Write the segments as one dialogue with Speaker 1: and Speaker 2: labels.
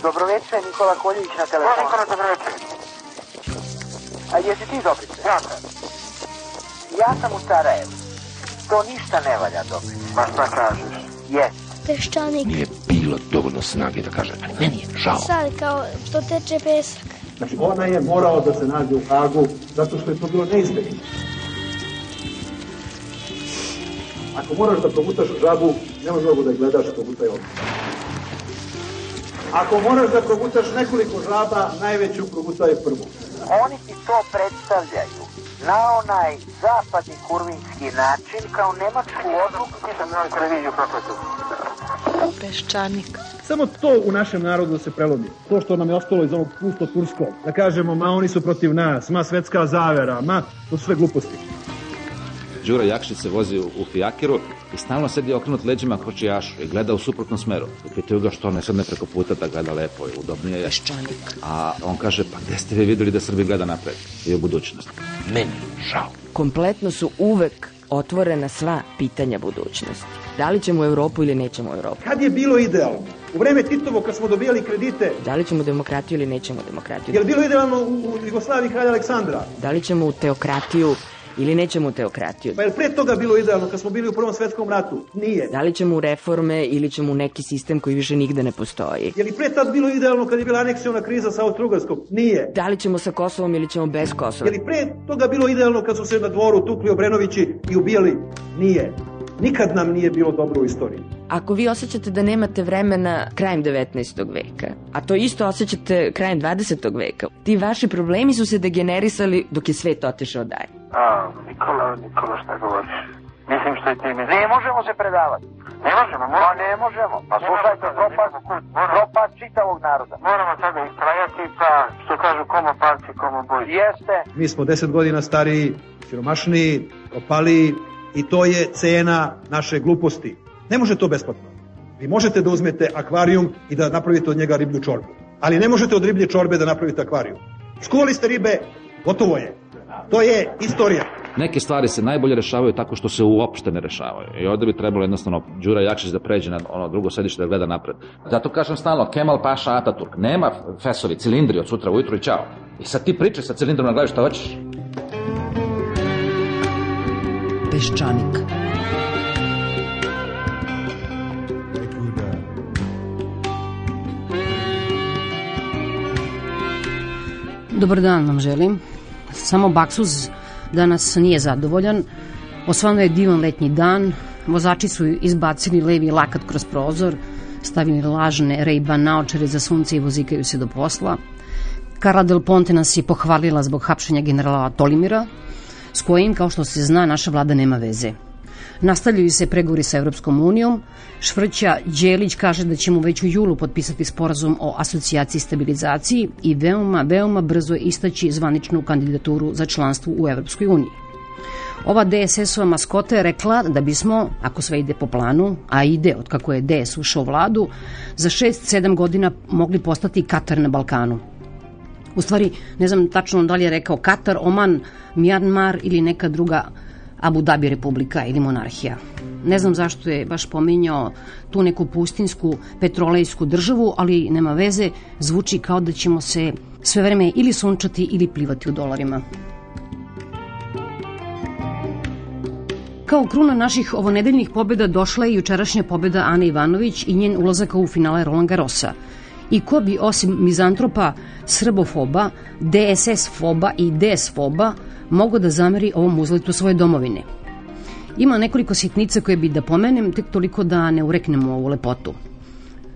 Speaker 1: Dobroveče, Nikola Koljević na telefonu.
Speaker 2: Nikola, dobroveče.
Speaker 1: A jesi ti Dobrice?
Speaker 2: Ja sam.
Speaker 1: Ja sam u Sarajevu. To ništa ne valja, Dobrice.
Speaker 2: Ma šta kažeš?
Speaker 1: Jes.
Speaker 3: Peščanik.
Speaker 4: Nije bilo dovoljno snage da kaže, ali meni je žao.
Speaker 3: Sad kao što teče pesak.
Speaker 5: Znači, ona je morao da se nađe u Hagu zato što je to bilo neizbježno. Ako moraš da progutaš žabu, nemoj mnogo da je gledaš, progutaj odmah. Ako moraš da progutaš nekoliko žaba, najveću progutaj prvu.
Speaker 1: Oni ti to predstavljaju na onaj zapadni kurvinski način kao nemačku odluku.
Speaker 2: Nisam na televiziju prokletu.
Speaker 3: Peščanik.
Speaker 5: Samo to u našem narodu se prelomi. To što nam je ostalo iz onog pusto-turskog. Da kažemo, ma oni su protiv nas, ma svetska zavera, ma to su sve gluposti.
Speaker 6: Đura Jakšić se vozi u fijakiru i stalno sedi okrenut leđima kočijašu i gleda u suprotnom smeru. Pitaju ga što ne sedne preko puta da gleda lepo i udobnije je.
Speaker 3: Peščanik.
Speaker 6: A on kaže, pa gde ste vi videli da Srbi gleda napred i u budućnost?
Speaker 4: Meni žao.
Speaker 7: Kompletno su uvek otvorena sva pitanja budućnosti. Da li ćemo u Evropu ili nećemo u Evropu?
Speaker 5: Kad je bilo idealno? U vreme Titovo kad smo dobijali kredite.
Speaker 7: Da li ćemo demokratiju ili nećemo demokratiju?
Speaker 5: Je li bilo idealno u Jugoslaviji kralja Aleksandra?
Speaker 7: Da li ćemo u teokratiju ili nećemo u teokratiju?
Speaker 5: Pa je li pre toga bilo idealno kad smo bili u Prvom svetskom ratu? Nije.
Speaker 7: Da li ćemo u reforme ili ćemo u neki sistem koji više nigde ne postoji?
Speaker 5: Je li pre tad bilo idealno kad je bila aneksiona kriza sa Austro-Ugarskom? Nije.
Speaker 7: Da li ćemo sa Kosovom ili ćemo bez Kosova?
Speaker 5: Je li pre toga bilo idealno kad su se na dvoru tukli Obrenovići i ubijali? Nije. Nikad nam nije bilo dobro u istoriji.
Speaker 7: Ako vi osjećate da nemate vremena krajem 19. veka, a to isto osjećate krajem 20. veka, ti vaši problemi su se degenerisali dok je svet otišao dalje.
Speaker 2: Nikola, šta govoriš? Mislim što je ti misliš.
Speaker 1: Ne možemo se predavati.
Speaker 2: Ne možemo,
Speaker 1: Pa ne možemo. Pa slušajte, propad čitavog naroda.
Speaker 2: Moramo sada istrajati, pa što kažu komo palci, komo boj.
Speaker 1: Jeste.
Speaker 5: Mi smo 10 godina stariji, siromašniji, propaliji i to je cena naše gluposti. Ne može to besplatno. Vi možete da uzmete akvarijum i da napravite od njega riblju čorbu. Ali ne možete od riblje čorbe da napravite akvarijum. Skuvali ste ribe, gotovo je. To je istorija.
Speaker 6: Neke stvari se najbolje rešavaju tako što se uopšte ne rešavaju. I ovde bi trebalo jednostavno Đura Jakšić da pređe na ono drugo sedište da gleda napred. Zato kažem stalno, Kemal Paša Ataturk. Nema fesovi, cilindri od sutra ujutru i čao. I sad ti pričaj sa cilindrom na glavi šta hoćeš.
Speaker 7: Peščanik.
Speaker 8: Dobar dan vam želim. Samo baksuz danas nije zadovoljan. Osvano je divan letnji dan. Vozači su izbacili levi lakat kroz prozor, stavili lažne Ray-Ban naočare za sunce i vozikaju se do posla. Carla Del Ponte nas je pohvalila zbog hapšenja generala Tolimira, s kojim, kao što se zna, naša vlada nema veze. Nastavljaju se pregovori sa Evropskom unijom. Švrća Đelić kaže da ćemo već u julu potpisati sporazum o asocijaciji i stabilizaciji i veoma brzo istaći zvaničnu kandidaturu za članstvo u Evropskoj uniji. Ova DSS-ova maskota je rekla da bismo, ako sve ide po planu, a ide od kako je DS ušao u vladu, za 6-7 godina mogli postati Katar na Balkanu. U stvari, ne znam tačno da li je rekao Katar, Oman, Mjanmar ili neka druga Abu Dhabi republika ili monarhija. Ne znam zašto je baš pominjao tu neku pustinsku petrolejsku državu, ali nema veze, zvuči kao da ćemo se sve vreme ili sunčati ili plivati u dolarima. Kao kruna naših ovonedeljnih pobjeda došla je jučerašnja pobjeda Ane Ivanović i njen ulazak u finale Roland Garrosa. I ko bi osim mizantropa, srbofoba, DSS-foba i DS-foba mogao da zameri ovom uzletu svoje domovine? Ima nekoliko sitnica koje bi da pomenem, tek toliko da ne ureknemo ovu lepotu.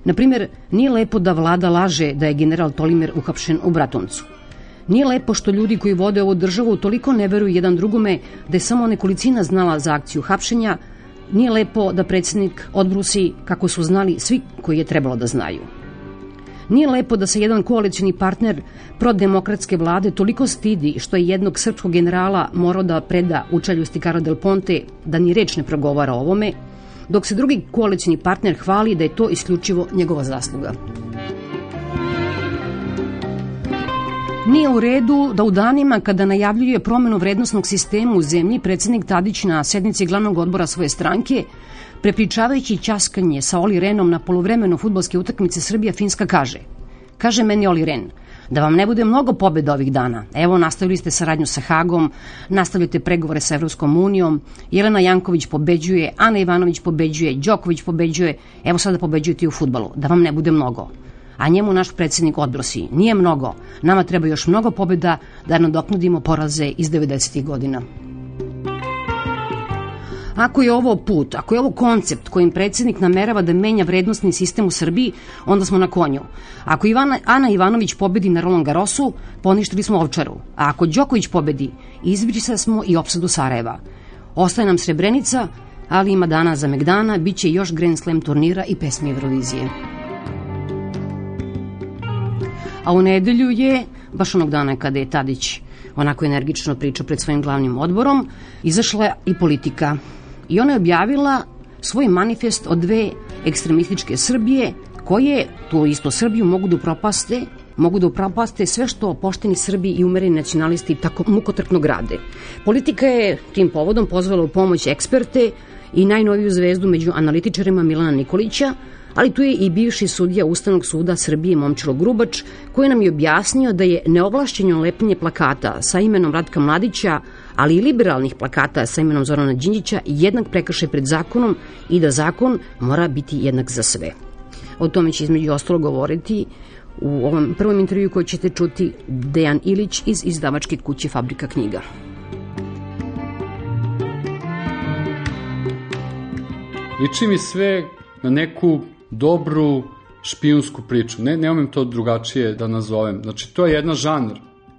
Speaker 8: Naprimjer, nije lepo da vlada laže da je general Tolimir uhapšen u Bratuncu. Nije lepo što ljudi koji vode ovu državu toliko ne veruju jedan drugome da je samo nekolicina znala za akciju hapšenja. Nije lepo da predsjednik odbrusi kako su znali svi koji je trebalo da znaju. Nije lepo da se jedan koalicijni partner prodemokratske vlade toliko stidi što je jednog srpskog generala morao da preda učaljusti Carla Del Ponte da ni reč ne progovara o ovome, dok se drugi koalicijni partner hvali da je to isključivo njegova zasluga. Nije u redu da u danima kada najavljuje promenu vrednosnog sistema u zemlji predsjednik Tadić na sednici glavnog odbora svoje stranke, prepričavajući ćaskanje sa Oli Renom na poluvremenu fudbalske utakmice Srbija-Finska, kaže: Kaže meni Oli Ren, da vam ne bude mnogo pobjeda ovih dana. Evo, nastavili ste saradnju sa Hagom, nastavljate pregovore sa Evropskom unijom, Jelena Janković pobeđuje, Ana Ivanović pobeđuje, Đoković pobeđuje, evo sada pobeđujete i u fudbalu. Da vam ne bude mnogo. A njemu naš predsjednik odbrosi, nije mnogo, nama treba još mnogo pobjeda da nadoknadimo poraze iz 90. godina. Ako je ovo put, ako je ovo koncept kojim predsjednik namerava da menja vrednostni sistem u Srbiji, onda smo na konju. Ako Ana Ivanović pobedi na Roland Garrosu, poništili smo Ovčaru. A ako Đoković pobedi, izbrisali smo i opsadu Sarajeva. Ostaje nam Srebrenica, ali ima dana za megdana, bit će još Grand Slam turnira i pesmi Eurovizije. A u nedelju je, baš onog dana kada je Tadić onako energično pričao pred svojim glavnim odborom, izašla i Politika. I ona je objavila svoj manifest od dve ekstremističke Srbije koje tu isto Srbiju mogu da upropaste sve što pošteni Srbi i umereni nacionalisti tako mukotrpno grade. Politika je tim povodom pozvala u pomoć eksperte i najnoviju zvezdu među analitičarima Milana Nikolića, ali tu je i bivši sudija Ustavnog suda Srbije Momčilo Grubač, koji nam je objasnio da je neovlašćeno lepljenje plakata sa imenom Ratka Mladića, ali i liberalnih plakata sa imenom Zorana Đinđića jednak prekršaj pred zakonom i da zakon mora biti jednak za sve. O tome će između ostalo govoriti u ovom prvom intervju koji ćete čuti Dejan Ilić iz izdavačke kuće Fabrika knjiga.
Speaker 9: Liči mi sve na neku dobru špijunsku priču. Ne umem to drugačije da nazovem. Znači, to je jedna žanr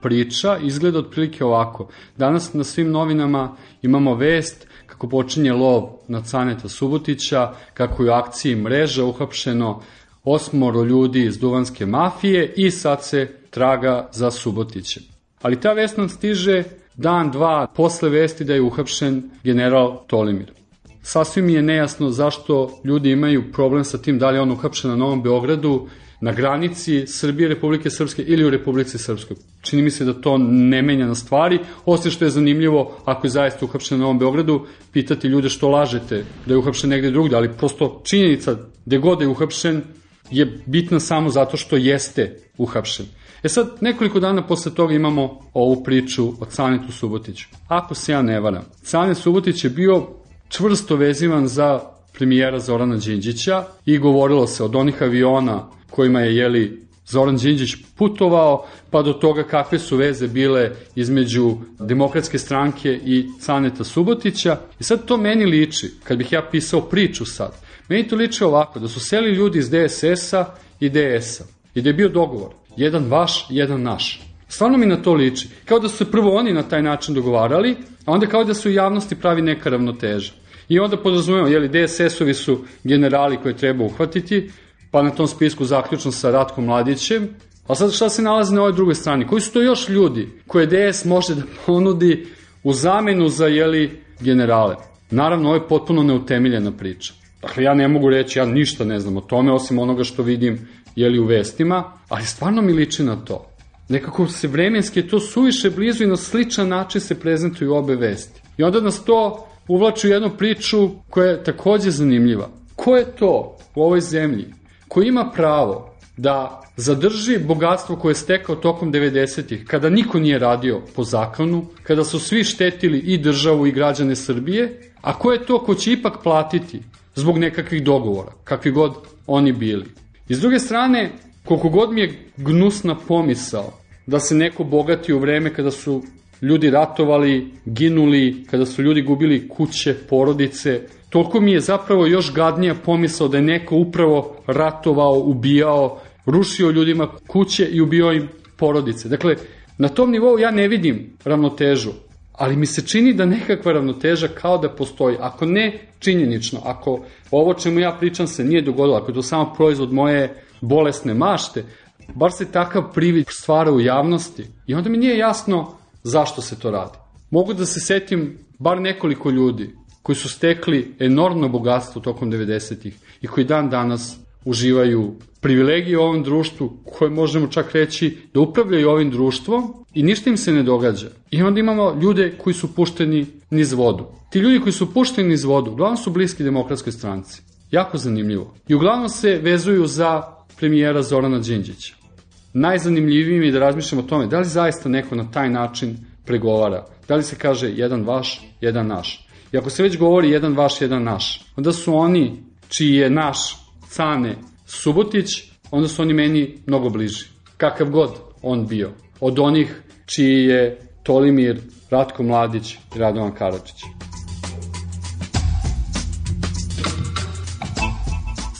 Speaker 9: priča, izgleda otprilike ovako. Danas na svim novinama imamo vest kako počinje lov na Caneta Subotića, kako je u akciji Mreža uhapšeno 8 ljudi iz duvanske mafije i sad se traga za Subotićem. Ali ta vest nam stiže dan, dva posle vesti da je uhapšen general Tolimir. Sasvim mi je nejasno zašto ljudi imaju problem sa tim da li je on uhapšen na Novom Beogradu, na granici Srbije, Republike Srpske ili u Republici Srpskoj. Čini mi se da to ne menja na stvari, osim što je zanimljivo ako je zaista uhapšen na Novom Beogradu, pitati ljude što lažete da je uhapšen negde drugde, ali prosto činjenica gde god je uhapšen je bitna samo zato što jeste uhapšen. Sad, nekoliko dana posle toga imamo ovu priču o Canetu Subotiću. Ako se ja ne varam, Canet Subotić je bio čvrsto vezivan za premijera Zorana Đinđića i govorilo se od onih aviona kojima je Zoran Đinđić putovao, pa do toga kakve su veze bile između Demokratske stranke i Caneta Subotića. I sad to meni liči, kad bih ja pisao priču sad, meni to liči ovako, da su seli ljudi iz DSS-a i DS-a i da je bio dogovor, jedan vaš, jedan naš. Stvarno mi na to liči, kao da su se prvo oni na taj način dogovarali, a onda kao da su u javnosti pravi neka ravnoteža. I onda podrazumemo, DSS-ovi su generali koje treba uhvatiti, pa na tom spisku zaključno sa Ratkom Mladićem, a sad šta se nalazi na ovoj drugoj strani? Koji su to još ljudi koje DS može da ponudi u zamenu za generale? Naravno, ovo je potpuno neutemeljena priča. Dakle, ja ne mogu reći, ja ništa ne znam o tome, osim onoga što vidim u vestima, ali stvarno mi liči na to. Nekako se vremenski je to suviše blizu i na sličan način se prezentuju obe vesti. I onda nas to uvlači u jednu priču koja je takođe zanimljiva. Ko je to u ovoj zemlji koji ima pravo da zadrži bogatstvo koje je stekao tokom 90-ih, kada niko nije radio po zakonu, kada su svi štetili i državu i građane Srbije, a ko je to ko će ipak platiti zbog nekakvih dogovora, kakvi god oni bili. I s druge strane, koliko god mi je gnusna pomisao da se neko bogati u vreme kada su ljudi ratovali, ginuli, kada su ljudi gubili kuće, porodice, toliko mi je zapravo još gadnija pomisao da je neko upravo ratovao, ubijao, rušio ljudima kuće i ubio im porodice. Dakle, na tom nivou ja ne vidim ravnotežu, ali mi se čini da nekakva ravnoteža kao da postoji. Ako ne činjenično, ako ovo čemu ja pričam se nije dogodilo, ako je to samo proizvod moje bolesne mašte, bar se takav privid stvara u javnosti i onda mi nije jasno zašto se to radi. Mogu da se setim bar nekoliko ljudi koji su stekli enormno bogatstvo tokom 90-ih i koji dan danas uživaju privilegije u ovom društvu, koje možemo čak reći da upravljaju ovim društvom i ništa im se ne događa. I onda imamo ljude koji su pušteni niz vodu. Ti ljudi koji su pušteni niz vodu uglavnom su bliski Demokratskoj stranci. Jako zanimljivo. I uglavnom se vezuju za premijera Zorana Đinđića. najzanimljivijim je da razmišljamo o tome da li zaista neko na taj način pregovara. Da li se kaže jedan vaš, jedan naš. I ako se već govori jedan vaš, jedan naš, onda su oni čiji je naš Cane Subotić, onda su oni meni mnogo bliži. Kakav god on bio. Od onih čiji je Tolimir, Ratko Mladić i Radovan Karadžić.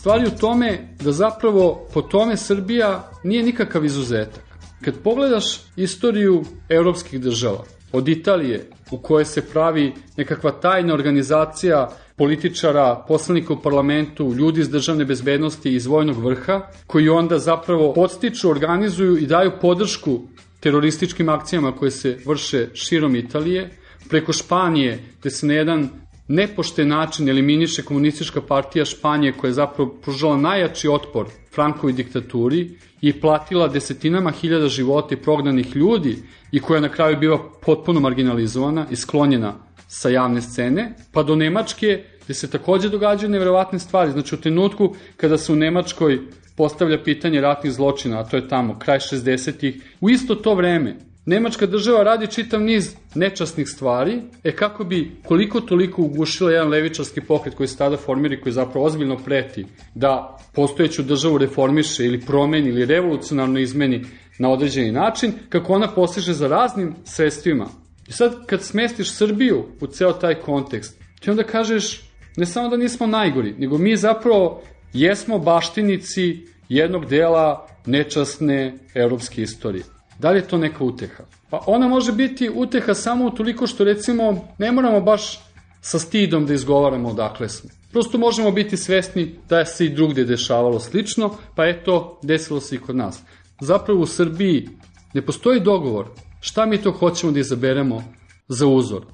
Speaker 9: Stvar je u tome da zapravo po tome Srbija nije nikakav izuzetak. Kad pogledaš istoriju evropskih država, od Italije u kojoj se pravi nekakva tajna organizacija političara, poslanika u parlamentu, ljudi iz državne bezbednosti i iz vojnog vrha, koji onda zapravo podstiču, organizuju i daju podršku terorističkim akcijama koje se vrše širom Italije, preko Španije, gde se na jedan nepošten način eliminiše komunistička partija Španije koja je zapravo pružala najjači otpor Frankovoj diktaturi i platila desetinama hiljada života i prognanih ljudi i koja na kraju biva potpuno marginalizovana i sklonjena sa javne scene, pa do Nemačke gde se takođe događaju neverovatne stvari. Znači u trenutku kada se u Nemačkoj postavlja pitanje ratnih zločina, a to je tamo kraj 60-ih, u isto to vreme Nemačka država radi čitav niz nečasnih stvari, kako bi koliko toliko ugušila jedan levičarski pokret koji se tada formira i koji zapravo ozbiljno preti da postojeću državu reformiše ili promeni ili revolucionarno izmeni na određeni način, kako ona postiže za raznim sredstvima. I sad kad smestiš Srbiju u ceo taj kontekst, ti onda kažeš ne samo da nismo najgori, nego mi zapravo jesmo baštinici jednog dela nečasne evropske istorije. Da li je to neka uteha? Pa ona može biti uteha samo utoliko što recimo ne moramo baš sa stidom da izgovaramo odakle smo. Prosto možemo biti svesni da se i drugde dešavalo slično, pa eto, desilo se i kod nas. Zapravo u Srbiji ne postoji dogovor šta mi to hoćemo da izaberemo za uzor.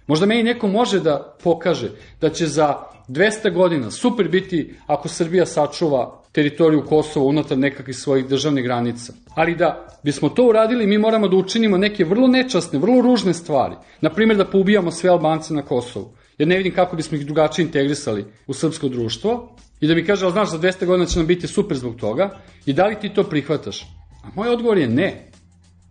Speaker 9: Možda meni neko može da pokaže da će za 200 godina super biti ako Srbija sačuva teritoriju Kosova unutar nekakvih svojih državnih granica. Ali da bismo to uradili, mi moramo da učinimo neke vrlo nečasne, vrlo ružne stvari. Naprimjer, da poubijamo sve Albance na Kosovu. Jer ne vidim kako bismo ih drugačije integrisali u srpsko društvo. I da mi kaže, ali znaš, za 200 godina će nam biti super zbog toga. I da li ti to prihvataš? A moj odgovor je ne.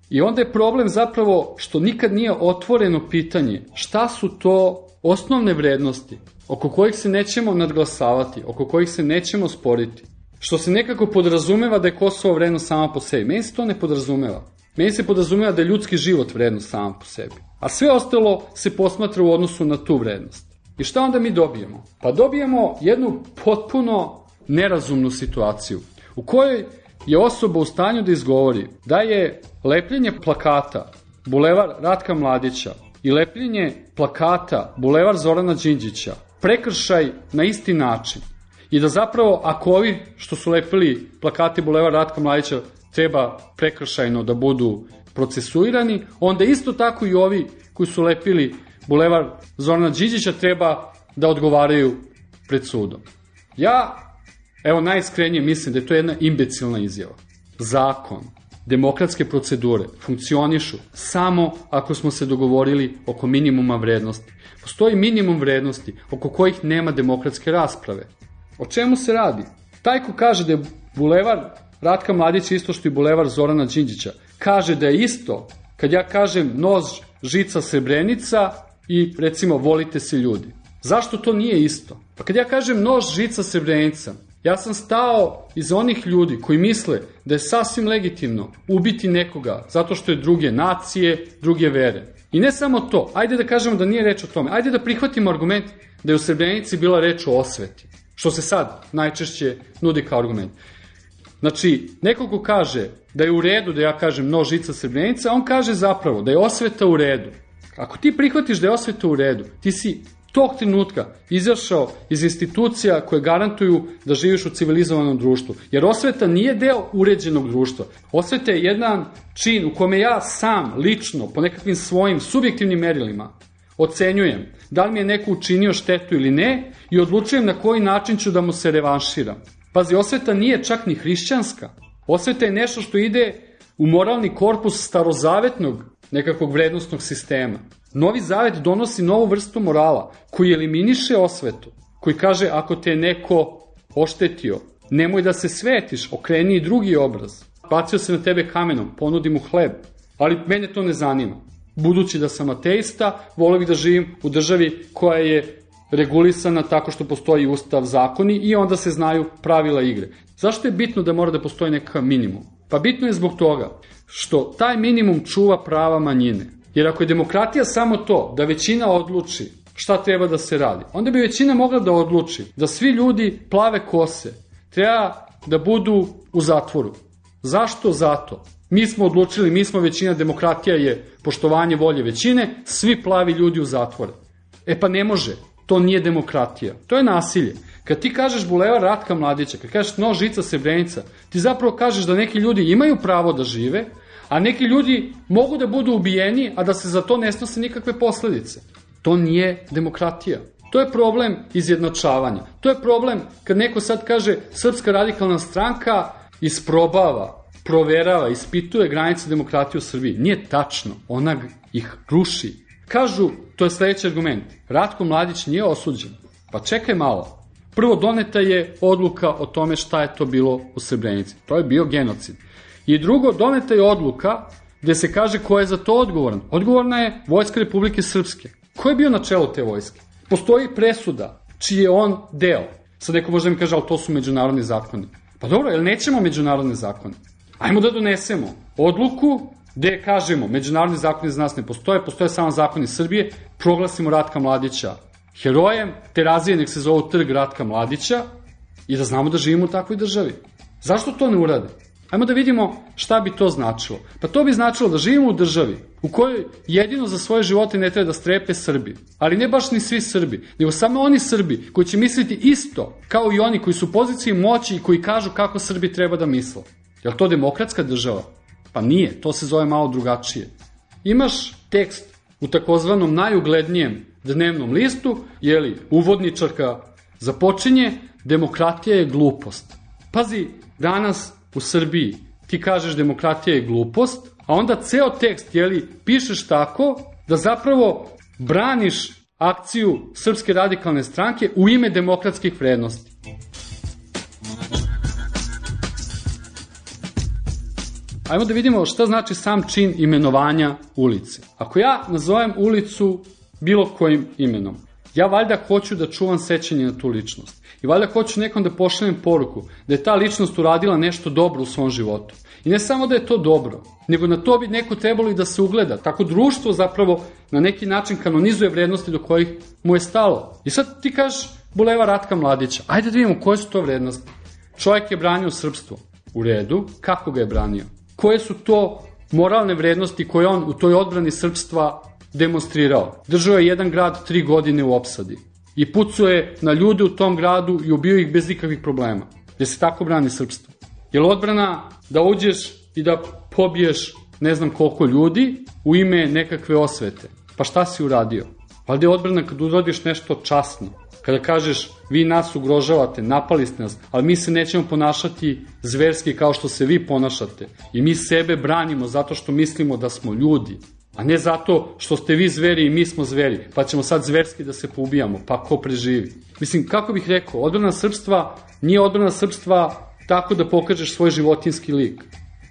Speaker 9: I onda je problem zapravo što nikad nije otvoreno pitanje šta su to osnovne vrednosti oko kojih se nećemo nadglasavati, oko kojih se nećemo sporiti. Što se nekako podrazumeva da je Kosovo vrednost sama po sebi. Meni se to ne podrazumeva. Meni se podrazumeva da je ljudski život vrednost sama po sebi. A sve ostalo se posmatra u odnosu na tu vrednost. I šta onda mi dobijemo? Pa dobijemo jednu potpuno nerazumnu situaciju u kojoj je osoba u stanju da izgovori da je lepljenje plakata Bulevar Ratka Mladića i lepljenje plakata Bulevar Zorana Đinđića prekršaj na isti način. I da zapravo, ako ovi što su lepili plakati Bulevar Ratka Mladića treba prekršajno da budu procesuirani, onda isto tako i ovi koji su lepili Bulevar Zorana Đinđića treba da odgovaraju pred sudom. Ja, evo najiskrenije mislim da je to jedna imbecilna izjava. Zakon, demokratske procedure funkcionišu samo ako smo se dogovorili oko minimuma vrednosti. Postoji minimum vrednosti oko kojih nema demokratske rasprave. O čemu se radi? Taj ko kaže da je Bulevar Ratka Mladića isto što i Bulevar Zorana Đinđića, kaže da je isto kad ja kažem nož, žica, Srebrenica i recimo volite se ljudi. Zašto to nije isto? Pa kad ja kažem nož, žica, Srebrenica, ja sam stao iz onih ljudi koji misle da je sasvim legitimno ubiti nekoga zato što je druge nacije, druge vere. I ne samo to, ajde da kažemo da nije reč o tome, ajde da prihvatimo argument da je u Srebrenici bila reč o osveti, što se sad najčešće nudi kao argument. Znači, neko ko kaže da je u redu da ja kažem nož, žica, Srebrenica, on kaže zapravo da je osveta u redu. Ako ti prihvatiš da je osveta u redu, ti si tog trenutka izašao iz institucija koje garantuju da živiš u civilizovanom društvu. Jer osveta nije deo uređenog društva. Osveta je jedan čin u kome ja sam, lično, po nekakvim svojim subjektivnim merilima ocenjujem da li mi je neko učinio štetu ili ne i odlučujem na koji način ću da mu se revanširam. Pazi, osveta nije čak ni hrišćanska. Osveta je nešto što ide u moralni korpus starozavetnog nekakvog vrednostnog sistema. Novi zavet donosi novu vrstu morala koji eliminiše osvetu, koji kaže ako te neko oštetio, nemoj da se svetiš, okreni i drugi obraz. bacio se na tebe kamenom, ponudi mu hleb, ali mene to ne zanima. Budući da sam ateista, volio bih da živim u državi koja je regulisana tako što postoji ustav, zakoni i onda se znaju pravila igre. Zašto je bitno da mora da postoji neka minimum? Pa bitno je zbog toga što taj minimum čuva prava manjine. Jer ako je demokratija samo to da većina odluči šta treba da se radi, onda bi većina mogla da odluči da svi ljudi plave kose treba da budu u zatvoru. Zašto? Zato. Mi smo odlučili, mi smo većina, demokratija je poštovanje volje većine, svi plavi ljudi u zatvore. E pa ne može, to nije demokratija, to je nasilje. Kad ti kažeš Bulevar Ratka Mladića, kad kažeš Nož, žica, Srebrenica, ti zapravo kažeš da neki ljudi imaju pravo da žive, a neki ljudi mogu da budu ubijeni, a da se za to ne snose nikakve posledice. To nije demokratija. To je problem izjednačavanja. To je problem kad neko sad kaže Srpska radikalna stranka isprobava, proverava, ispituje granice demokratije u Srbiji. Nije tačno. Ona ih ruši. Kažu, to je sledeći argument, Ratko Mladić nije osuđen. Pa čekaj malo. Prvo, doneta je odluka o tome šta je to bilo u Srebrenici. To je bio genocid. I drugo, doneta je odluka gde se kaže ko je za to odgovoran. Odgovorna je Vojska Republike Srpske. Ko je bio na čelu te vojske? Postoji presuda čiji je on deo. Sad neko može mi kaže, ali to su međunarodni zakoni. Pa dobro, jel nećemo međunarodne zakone? Ajmo da donesemo odluku gde kažemo, međunarodni zakoni za nas ne postoje, postoje samo zakoni Srbije, proglasimo Ratka Mladića herojem, Terazije nek se zovu Trg Ratka Mladića i da znamo da živimo u takvoj državi. Zašto to ne urade? Ajmo da vidimo šta bi to značilo. Pa to bi značilo da živimo u državi u kojoj jedino za svoje živote ne treba da strepe Srbi. Ali ne baš ni svi Srbi, nego samo oni Srbi koji će misliti isto kao i oni koji su u poziciji moći i koji kažu kako Srbi treba da misle. Je li to demokratska država? Pa nije, to se zove malo drugačije. Imaš tekst u takozvanom najuglednijem dnevnom listu, jeli, uvodničarka započinje, demokratija je glupost. Pazi, danas u Srbiji ti kažeš demokratija je glupost, a onda ceo tekst, jeli, pišeš tako da zapravo braniš akciju Srpske radikalne stranke u ime demokratskih vrednosti. Ajmo da vidimo šta znači sam čin imenovanja ulice. Ako ja nazovem ulicu bilo kojim imenom, ja valjda hoću da čuvam sećanje na tu ličnost. I valjda hoću nekom da pošaljem poruku da je ta ličnost uradila nešto dobro u svom životu. I ne samo da je to dobro, nego na to bi neko trebalo i da se ugleda. Tako društvo zapravo na neki način kanonizuje vrednosti do kojih mu je stalo. I sad ti kažeš Bulevar Ratka Mladića. Ajde da vidimo koje su to vrednosti. Čovjek je branio srpstvo. U redu, kako ga je branio? Koje su to moralne vrednosti koje on u toj odbrani srpstva demonstrirao? Držao je jedan grad 3 godine u opsadi i pucao je na ljude u tom gradu i ubio ih bez ikakvih problema. Jer se tako brani srpstvo. Je li odbrana da uđeš i da pobiješ ne znam koliko ljudi u ime nekakve osvete? Pa šta si uradio? Valjda je odbrana kad uradiš nešto časno. Kada kažeš vi nas ugrožavate, napali ste nas, ali mi se nećemo ponašati zverski kao što se vi ponašate. I mi sebe branimo zato što mislimo da smo ljudi, a ne zato što ste vi zveri i mi smo zveri, pa ćemo sad zverski da se poubijamo, pa ko preživi. Mislim, kako bih rekao, odbrana srpstva nije odbrana srpstva tako da pokažeš svoj životinski lik.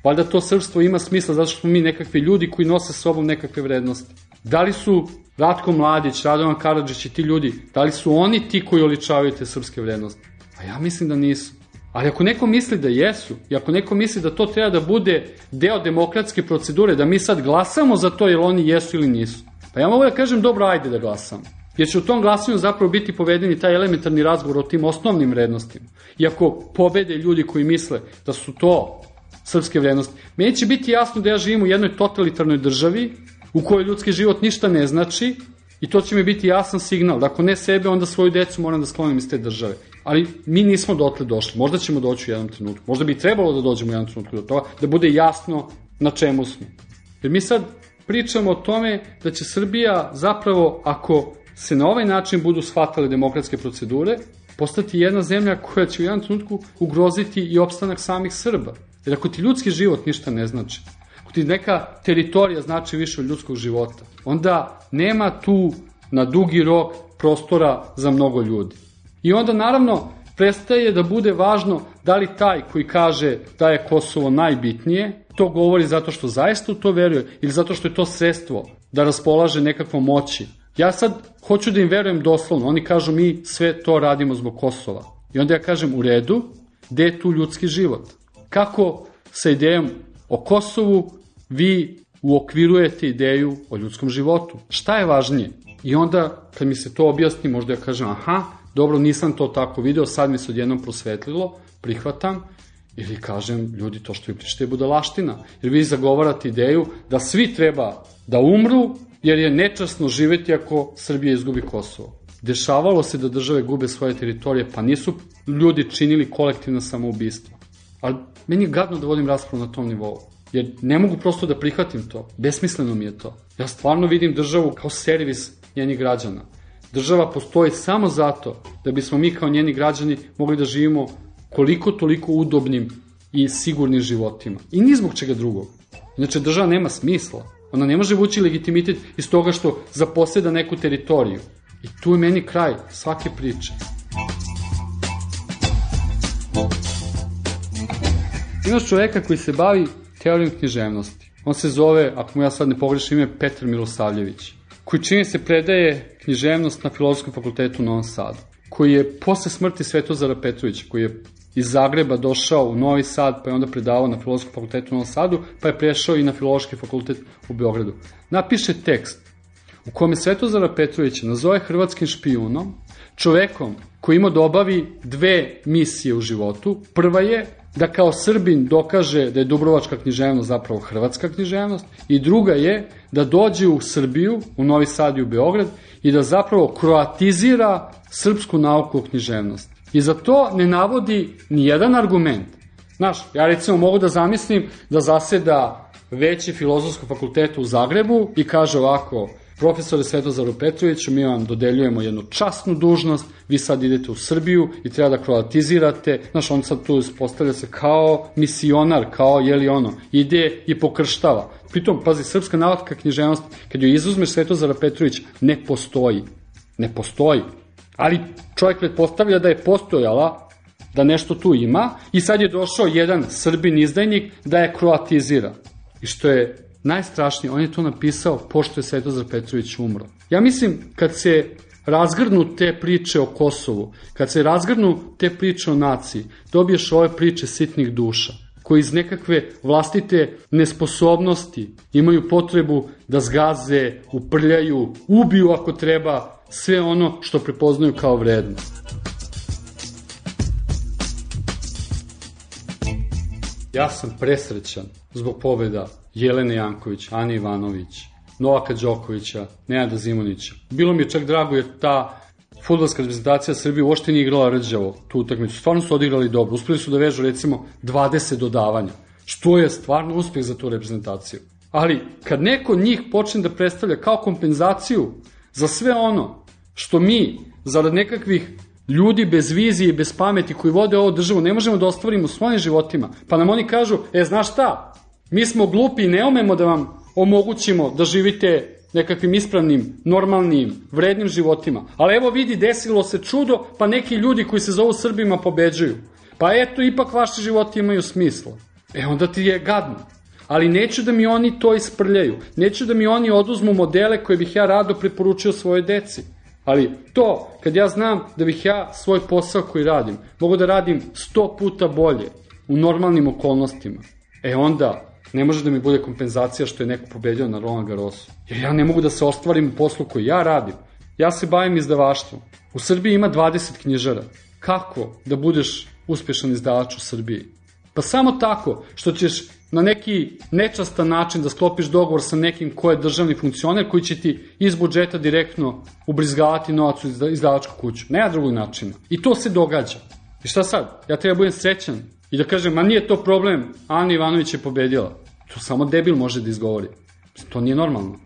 Speaker 9: Valjda to srpstvo ima smisla zato što smo mi nekakvi ljudi koji nose s sobom nekakve vrednosti. Da li su Ratko Mladić, Radovan Karadžić i ti ljudi, da li su oni ti koji oličavaju te srpske vrednosti? A ja mislim da nisu. Ali ako neko misli da jesu, i ako neko misli da to treba da bude deo demokratske procedure, da mi sad glasamo za to jer oni jesu ili nisu, pa ja mogu da kažem dobro, ajde da glasamo. Jer će u tom glasanju zapravo biti povedeni taj elementarni razgovor o tim osnovnim vrednostima. I ako pobede ljudi koji misle da su to srpske vrednosti, meni će biti jasno da ja živim u jednoj totalitarnoj državi u kojoj ljudski život ništa ne znači i to će mi biti jasan signal da ako ne sebe, onda svoju decu moram da sklonim iz te države. Ali mi nismo dotle došli, možda ćemo doći u jednom trenutku, možda bi trebalo da dođemo u jednom trenutku do toga, da bude jasno na čemu smo. Jer mi sad pričamo o tome da će Srbija zapravo, ako se na ovaj način budu shvatale demokratske procedure, postati jedna zemlja koja će u jednom trenutku ugroziti i opstanak samih Srba. Jer ako ti ljudski život ništa ne znači, ako ti neka teritorija znači više od ljudskog života, onda nema tu na dugi rok prostora za mnogo ljudi. I onda naravno prestaje da bude važno da li taj koji kaže da je Kosovo najbitnije, to govori zato što zaista u to veruje ili zato što je to sredstvo da raspolaže nekakvom moći. Ja sad hoću da im verujem doslovno. Oni kažu mi sve to radimo zbog Kosova. I onda ja kažem u redu, gde je tu ljudski život? Kako sa idejom o Kosovu vi uokvirujete ideju o ljudskom životu? Šta je važnije? I onda kad mi se to objasni, možda ja kažem aha, dobro, nisam to tako video, sad mi se odjednom prosvetlilo, prihvatam, ili kažem, ljudi, to što vi pričate je budalaština. Jer vi zagovarate ideju da svi treba da umru, jer je nečasno živeti ako Srbija izgubi Kosovo. Dešavalo se da države gube svoje teritorije, pa nisu ljudi činili kolektivno samoubistvo. Ali meni je gadno da vodim raspravu na tom nivou. Jer ne mogu prosto da prihvatim to. Besmisleno mi je to. Ja stvarno vidim državu kao servis njenih građana. Država postoji samo zato da bismo mi kao njeni građani mogli da živimo koliko toliko udobnim i sigurnim životima. I ni zbog čega drugog. Inače, država nema smisla. Ona ne može vući legitimitet iz toga što zaposeda neku teritoriju. I tu je meni kraj svake priče. Imaš čoveka koji se bavi teorijom književnosti. On se zove, ako mu ja sad ne pogrešim ime, Petar Milosavljević, koji čini se predaje književnost na Filozofskom fakultetu u Novom Sadu, koji je posle smrti Svetozara Petrovića, koji je iz Zagreba došao u Novi Sad, pa je onda predavao na Filozofskom fakultetu u Novom Sadu, pa je prešao i na Filološki fakultet u Beogradu. Napiše tekst u kome Svetozara Petrovića nazove hrvatskim špijunom, čovekom koji ima da obavi dve misije u životu. Prva je da kao Srbin dokaže da je dubrovačka književnost zapravo hrvatska književnost i druga je da dođe u Srbiju, u Novi Sad i u Beograd i da zapravo kroatizira srpsku nauku o književnosti. I za to ne navodi ni jedan argument. Znaš, ja recimo mogu da zamislim da zaseda veće Filozofskog fakulteta u Zagrebu i kaže ovako: profesore Svetozaru Petroviću, mi vam dodeljujemo jednu časnu dužnost, vi sad idete u Srbiju i treba da kroatizirate. Znaš, on sad tu postavlja se kao misionar, kao jeli ono, ide i pokrštava. Pritom, pazi, srpska nauka književnost, kad joj izuzmeš Svetozara Petrovića, ne postoji. Ne postoji. Ali čovjek pretpostavlja da je postojala, da nešto tu ima i sad je došao jedan Srbin izdajnik da je kroatizira. I što je najstrašnije, on je to napisao pošto je Svetozar Petrović umro. Ja mislim, kad se razgrnu te priče o Kosovu, kad se razgrnu te priče o naciji, dobiješ ove priče sitnih duša, koji iz nekakve vlastite nesposobnosti imaju potrebu da zgaze, uprljaju, ubiju ako treba sve ono što prepoznaju kao vrednost. Ja sam presrećan zbog pobjeda Jelene Janković, Ane Ivanović, Novaka Đokovića, Nenada Zimunića. Bilo mi je čak drago jer ta fudbalska reprezentacija Srbije uopšte nije igrala rđavo tu utakmicu. Stvarno su odigrali dobro. Uspeli su da vežu recimo 20 dodavanja, što je stvarno uspeh za tu reprezentaciju. Ali kad neko njih počne da predstavlja kao kompenzaciju za sve ono što mi, zarad nekakvih ljudi bez vizije i bez pameti koji vode ovu državu, ne možemo da ostvarimo u svojim životima, pa nam oni kažu, znaš šta, mi smo glupi i ne umemo da vam omogućimo da živite nekakvim ispravnim, normalnim, vrednim životima. Ali evo vidi, desilo se čudo, pa neki ljudi koji se zovu Srbima pobeđuju. Pa eto, ipak vaši životi imaju smisla. Onda ti je gadno. Ali neću da mi oni to isprljaju. Neću da mi oni oduzmu modele koje bih ja rado preporučio svojoj deci. Ali to, kad ja znam da bih ja svoj posao koji radim, mogu da radim 100 puta bolje u normalnim okolnostima, onda ne može da mi bude kompenzacija što je neko pobedio na Roland Garrosu. Jer ja ne mogu da se ostvarim u poslu koji ja radim. Ja se bavim izdavaštvom. U Srbiji ima 20 knjižara. Kako da budeš uspešan izdavač u Srbiji? Pa samo tako što ćeš na neki nečastan način da sklopiš dogovor sa nekim ko je državni funkcioner koji će ti iz budžeta direktno ubrizgavati novac u izdavačku kuću. Nema drugog načina. I to se događa. I šta sad? Ja treba budem srećan i da kažem, ma nije to problem, Ana Ivanović je pobedila. To samo debil može da izgovori. To nije normalno.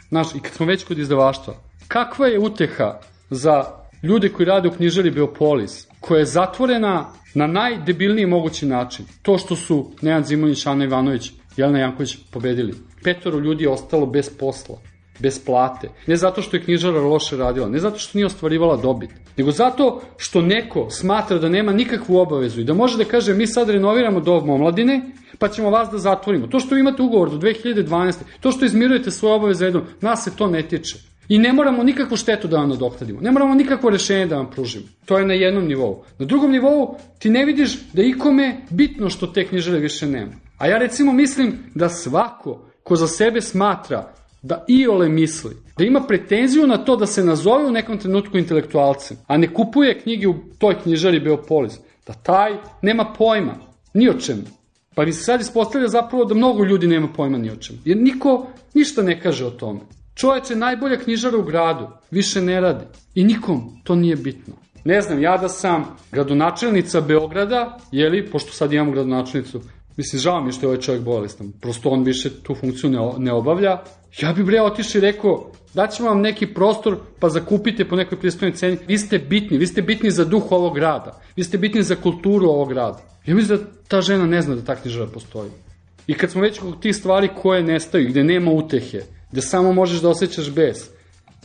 Speaker 9: Znaš, i kad smo već kod izdavaštva, kakva je uteha za ljude koji rade u knjižari Beopolis, koja je zatvorena na najdebilniji mogući način? To što su Nenad Zimunić, Ana Ivanović, Jelena Janković pobedili. 5 ljudi je ostalo bez posla. bez plate, ne zato što je knjižara loše radila, ne zato što nije ostvarivala dobit, nego zato što neko smatra da nema nikakvu obavezu i da može da kaže mi sad renoviramo dom omladine, pa ćemo vas da zatvorimo. To što vi imate ugovor do 2012. To što izmirujete svoje obaveze jednom, nas se to ne tiče. I ne moramo nikakvu štetu da vam nadoknadimo. Ne moramo nikakvo rešenje da vam pružimo. To je na jednom nivou. Na drugom nivou ti ne vidiš da ikome bitno što te knjižare više nema. A ja recimo mislim da svako ko za sebe smatra da iole misli, da ima pretenziju na to da se nazove u nekom trenutku intelektualcem, a ne kupuje knjige u toj knjižari Beopolis, da taj nema pojma ni o čemu. Pa mi se sad ispostavlja zapravo da mnogo ljudi nema pojma ni o čemu. Jer niko ništa ne kaže o tome. Čoveče, najbolja knjižara u gradu više ne radi. I nikom to nije bitno. Ne znam, ja da sam gradonačelnica Beograda, pošto sad imamo gradonačelnicu, mislim, žao mi je što je ovaj čovjek bolestan, prosto on više tu funkciju ne obavlja, ja bi otišao i rekao, daćemo vam neki prostor pa zakupite po nekoj pristojnoj ceni. Vi ste bitni za duh ovog grada, vi ste bitni za kulturu ovog grada. Ja mislim da ta žena ne zna da ta knjižara postoji. I kad smo već kod tih stvari koje nestaju, gde nema utehe, gde samo možeš da osjećaš bes,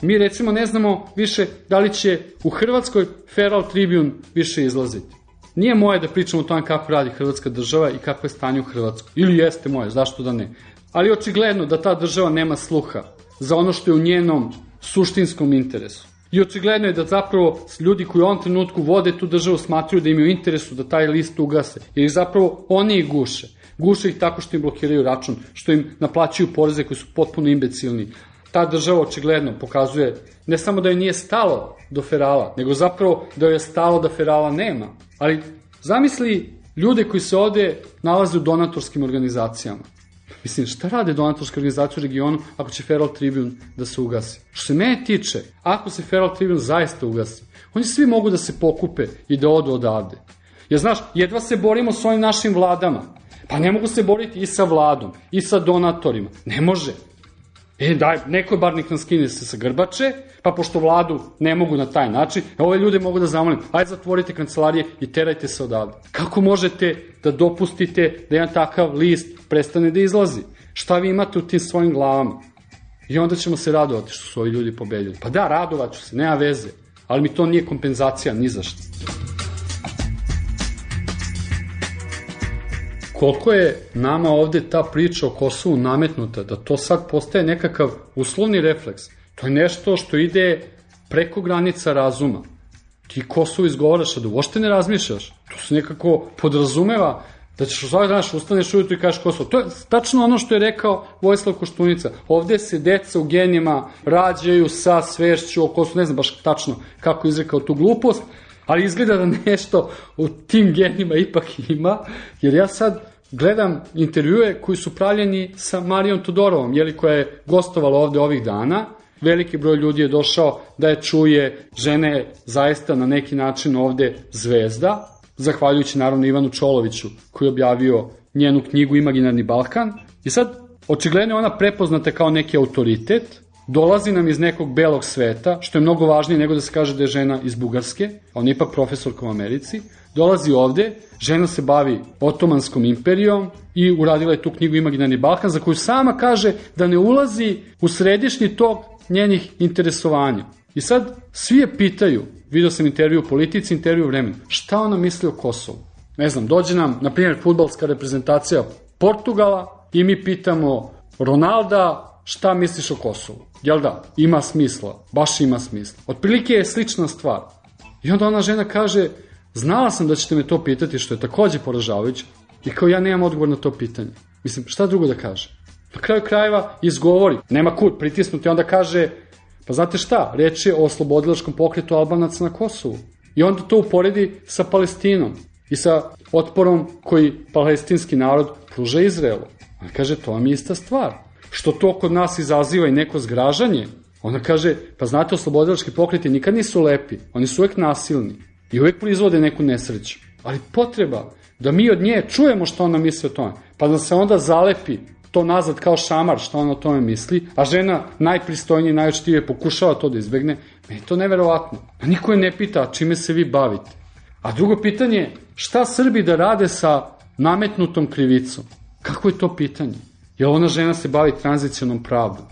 Speaker 9: mi recimo ne znamo više da li će u Hrvatskoj Feral Tribune više izlaziti. Nije moje da pričam o tome kako radi Hrvatska država i kako je stanje u Hrvatskoj. Ili jeste moje, zašto da ne. Ali očigledno da ta država nema sluha za ono što je u njenom suštinskom interesu. I očigledno je da zapravo ljudi koji u ovom trenutku vode tu državu smatruju da im je u interesu da taj list ugase. Jer zapravo oni ih guše. Guše ih tako što im blokiraju račun, što im naplaćuju poreze koji su potpuno imbecilni. Ta država očigledno pokazuje ne samo da joj nije stalo do Ferala, nego zapravo da joj je stalo da Ferala nema. Ali zamisli ljude koji se ovde nalaze u donatorskim organizacijama. Mislim, šta rade donatorske organizacije u regionu ako će Feral Tribune da se ugasi? Što se mene tiče, ako se Feral Tribune zaista ugasi, oni svi mogu da se pokupe i da odu odavde. Jer znaš, jedva se borimo s ovim našim vladama. Pa ne mogu se boriti i sa vladom, i sa donatorima. Ne može. Daj, neko bar nek nam skine se sa grbače, pa pošto vladu ne mogu na taj način, ove ljude mogu da zamolim, ajde zatvorite kancelarije i terajte se odavde. Kako možete da dopustite da jedan takav list prestane da izlazi? Šta vi imate u tim svojim glavama? I onda ćemo se radovati što su ovi ljudi pobedili. Pa da, radovat ću se, nema veze, ali mi to nije kompenzacija ni za što. Koliko je nama ovde ta priča o Kosovu nametnuta, da to sad postaje nekakav uslovni refleks. To je nešto što ide preko granica razuma. Ti Kosovo izgovaraš, a da uopšte ne razmišljaš. To se nekako podrazumeva da ćeš u svaki današ ustaneš ujutru i kažeš Kosovo. To je tačno ono što je rekao Vojislav Koštunica. Ovde se deca u genijima rađaju sa svešću o Kosovu. Ne znam baš tačno kako izrekao tu glupost, ali izgleda da nešto u tim genima ipak ima, jer ja sad gledam intervjue koji su pravljeni sa Marijom Todorovom, koja je gostovala ovde ovih dana. Veliki broj ljudi je došao da je čuje, žena je zaista na neki način ovde zvezda, zahvaljujući naravno Ivanu Čoloviću koji je objavio njenu knjigu Imaginarni Balkan. I sad, očigledno je ona prepoznata kao neki autoritet, dolazi nam iz nekog belog sveta, što je mnogo važnije nego da se kaže da je žena iz Bugarske, ona je ipak profesorka u Americi, dolazi ovde, žena se bavi Otomanskom imperijom i uradila je tu knjigu Imaginarni Balkan, za koju sama kaže da ne ulazi u središnji tok njenih interesovanja. I sad svi je pitaju, vidio sam intervju u Politici, intervju u Vremenu, šta ona misli o Kosovu? Ne znam, dođe nam, na primjer, fudbalska reprezentacija Portugala i mi pitamo Ronalda, šta misliš o Kosovu? Jel da? Ima smisla. Baš ima smisla. Otprilike je slična stvar. I onda ona žena kaže, znala sam da ćete me to pitati, što je takođe poražavajuće. I kao ja nemam odgovor na to pitanje. Mislim, šta drugo da kaže? Na kraju krajeva izgovori. Nema kud pritisnuti. Onda kaže, pa znate šta? Reč je o oslobodilačkom pokretu Albanaca na Kosovu. I onda to uporedi sa Palestinom i sa otporom koji palestinski narod pruža Izraelu. Ona kaže, to vam je ista stvar. Što to kod nas izaziva i neko zgražanje, ona kaže, pa znate, oslobodilački pokreti nikad nisu lepi, oni su uvek nasilni i uvek proizvode neku nesreću. Ali potreba da mi od nje čujemo što ona misli o tome, pa da se onda zalepi to nazad kao šamar što ona o tome misli, a žena najpristojnije i najočtivije pokušava to da izbegne, meni je to neverovatno. A niko je ne pita čime se vi bavite. A drugo pitanje je, šta Srbi da rade sa nametnutom krivicom? Kako je to pitanje? Jer ona žena se bavi tranzicionom pravdom.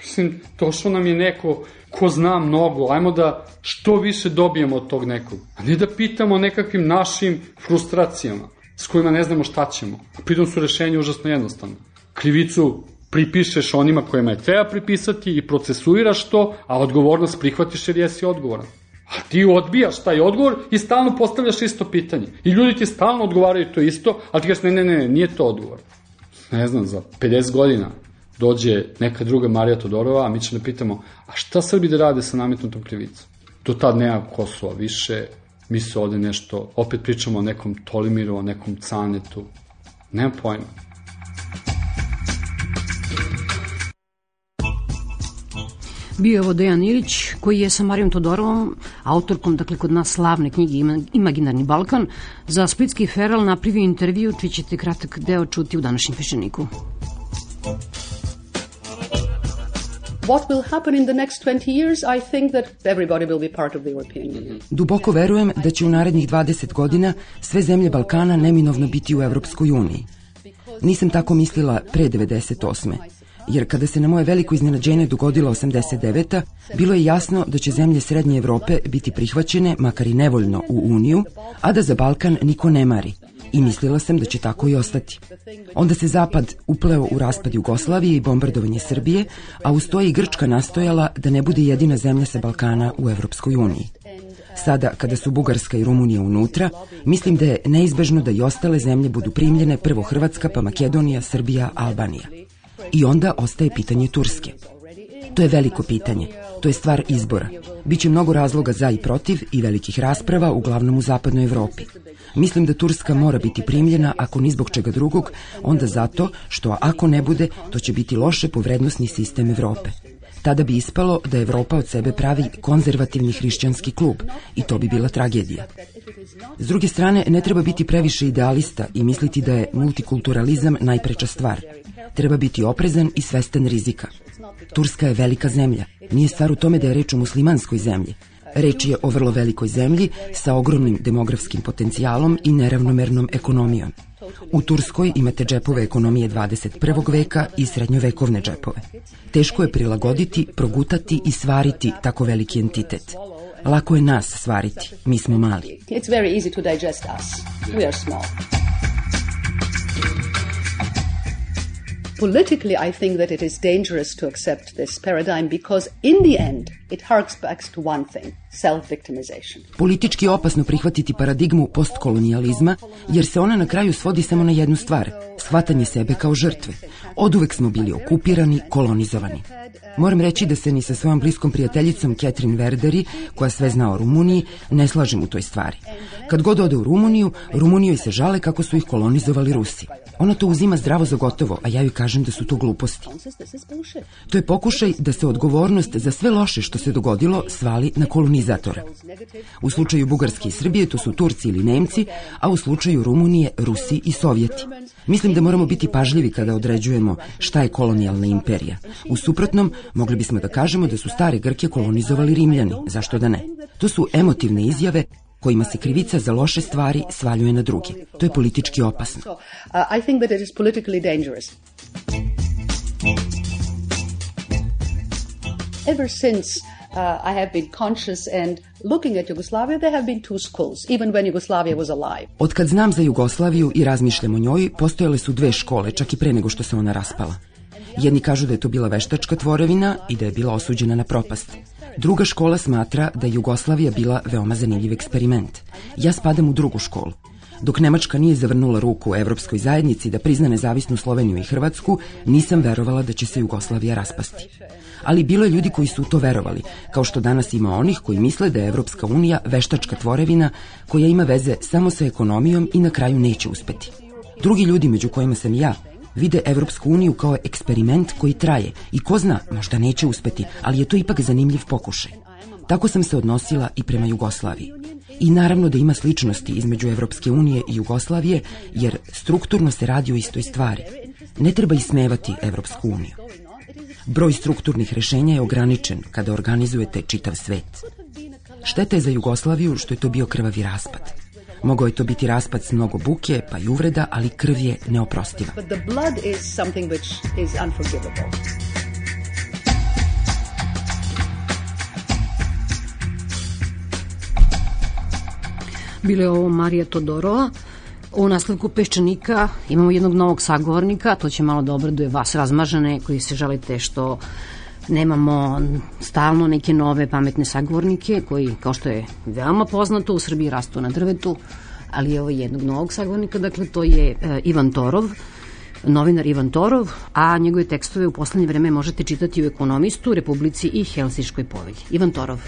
Speaker 9: Mislim, došao nam je neko ko zna mnogo, ajmo da što više dobijemo od tog nekog, a ne da pitamo o nekakvim našim frustracijama s kojima ne znamo šta ćemo. A pritom su rešenje užasno jednostavno. Krivicu pripišeš onima kojima je treba pripisati i procesuiraš to, a odgovornost prihvatiš jer jesi odgovoran. A ti odbijaš taj odgovor i stalno postavljaš isto pitanje. I ljudi ti stalno odgovaraju to isto, ali ti kažeš ne, nije to odgovor. Ne znam, za 50 godina dođe neka druga Marija Todorova, a mi ćemo da pitamo, a šta Srbi da rade sa nametnutom krivicom? Do tad nema Kosova više, mi se ovde nešto, opet pričamo o nekom Tolimiru, o nekom Canetu, nema pojma.
Speaker 8: Bio je ovo Dejan Ilić, koji je sa Marijom Todorovom, autorkom, dakle, kod nas slavne knjige Imaginarni Balkan, za Splitski Feral napravio intervju, čiji ćete kratak deo čuti u današnjem Peščaniku.
Speaker 10: What will happen in the next 20 years? I think that everybody will be part of the European Union.
Speaker 11: Duboko verujem da će u narednih 20 godina sve zemlje Balkana neminovno biti u Evropskoj uniji. Nisam tako mislila pre 98. Jer kada se na moje veliko iznenađenje dogodila 89. bilo je jasno da će zemlje Srednje Evrope biti prihvaćene, makar i nevoljno, u Uniju, a da za Balkan niko ne mari. I mislila sam da će tako i ostati. Onda se Zapad upleo u raspad Jugoslavije i bombardovanje Srbije, a uz to i Grčka nastojala da ne bude jedina zemlja sa Balkana u Evropskoj uniji. Sada, kada su Bugarska i Rumunija unutra, mislim da je neizbežno da i ostale zemlje budu primljene, prvo Hrvatska, pa Makedonija, Srbija, Albanija. I onda ostaje pitanje Turske. To je veliko pitanje, to je stvar izbora. Biće mnogo razloga za i protiv i velikih rasprava, uglavnom u zapadnoj Evropi. Mislim da Turska mora biti primljena, ako ni zbog čega drugog, onda zato što ako ne bude, to će biti loše po vrednosni sistem Evrope. Tada bi ispalo da Evropa od sebe pravi konzervativni hrišćanski klub i to bi bila tragedija. S druge strane, ne treba biti previše idealista i misliti da je multikulturalizam najpreča stvar. Treba biti oprezan i svestan rizika. Turska je velika zemlja. Nije stvar u tome da je reč o muslimanskoj zemlji. Reč je o vrlo velikoj zemlji sa ogromnim demografskim potencijalom i neravnomernom ekonomijom. U Turskoj imate džepove ekonomije 21. veka i srednjovekovne džepove. Teško je prilagoditi, progutati i svariti tako veliki entitet. Lako je nas svariti, mi smo mali.
Speaker 10: It's very easy to digest us. We are small. Politically, I think that it is dangerous to accept this paradigm because in the end it harks back to one thing, self-victimization.
Speaker 11: Politički je opasno prihvatiti paradigmu postkolonijalizma jer se ona na kraju svodi samo na jednu stvar, shvatanje sebe kao žrtve. Oduvek smo bili okupirani, kolonizovani. Moram reći da se ni sa svojom bliskom prijateljicom Catherine Verderi, koja sve zna o Rumuniji, ne slažem u toj stvari. Kad god ode u Rumuniju, Rumunijoj se žale kako su ih kolonizovali Rusi. Ona to uzima zdravo za gotovo, a ja joj kažem da su to gluposti. To je pokušaj da se odgovornost za sve loše što se dogodilo svali na kolonizatora. U slučaju Bugarske i Srbije to su Turci ili Nemci, a u slučaju Rumunije Rusi i Sovjeti. Mislim da moramo biti pažljivi kada određujemo šta je kolonijalna imperija. U suprotnom, mogli bismo da kažemo da su stare Grke kolonizovali Rimljani. Zašto da ne? To su emotivne izjave kojima se krivica za loše stvari svaljuje na druge. To je politički opasno.
Speaker 10: I think that it is politically dangerous. Ever since I have been conscious and looking at Yugoslavia, there have been two schools, even when Yugoslavia was alive.
Speaker 11: Od kad znam za Jugoslaviju i razmišljam o njoj, postojale su dve škole, čak i pre nego što se ona raspala. Jedni kažu da je to bila veštačka tvorevina i da je bila osuđena na propast. Druga škola smatra da je Jugoslavija bila veoma zanimljiv eksperiment. Ja spadam u drugu školu. Dok Nemačka nije zavrnula ruku u Evropskoj zajednici da prizna nezavisnu Sloveniju i Hrvatsku, nisam verovala da će se Jugoslavija raspasti. Ali bilo je ljudi koji su u to verovali, kao što danas ima onih koji misle da je Evropska unija veštačka tvorevina koja ima veze samo sa ekonomijom i na kraju neće uspeti. Drugi ljudi, među kojima sam ja, vide Evropsku uniju kao eksperiment koji traje i ko zna, možda neće uspeti, ali je to ipak zanimljiv pokušaj. Tako sam se odnosila i prema Jugoslaviji. I naravno da ima sličnosti između Evropske unije i Jugoslavije, jer strukturno se radi o istoj stvari. Ne treba ismevati Evropsku uniju. Broj strukturnih rešenja je ograničen kada organizujete čitav svet. Šteta je za Jugoslaviju što je to bio krvavi raspad. Mogao je to biti raspad s mnogo buke, pa i uvreda, ali krv je neoprostiva.
Speaker 10: But the blood is something which is unforgivable.
Speaker 8: Bila je ovo Marija Todorova. U nastavku Peščanika imamo jednog novog sagovornika, to će malo da obraduje vas razmažane koji se žalite što nemamo stalno neke nove pametne sagovornike koji, kao što je veoma poznato, u Srbiji rastu na drvetu, ali evo jednog novog sagovornika, dakle to je Ivan Torov, novinar Ivan Torov, a njegove tekstove u poslednje vreme možete čitati u Ekonomistu, Republici i Helsinškoj povelji. Ivan Torov.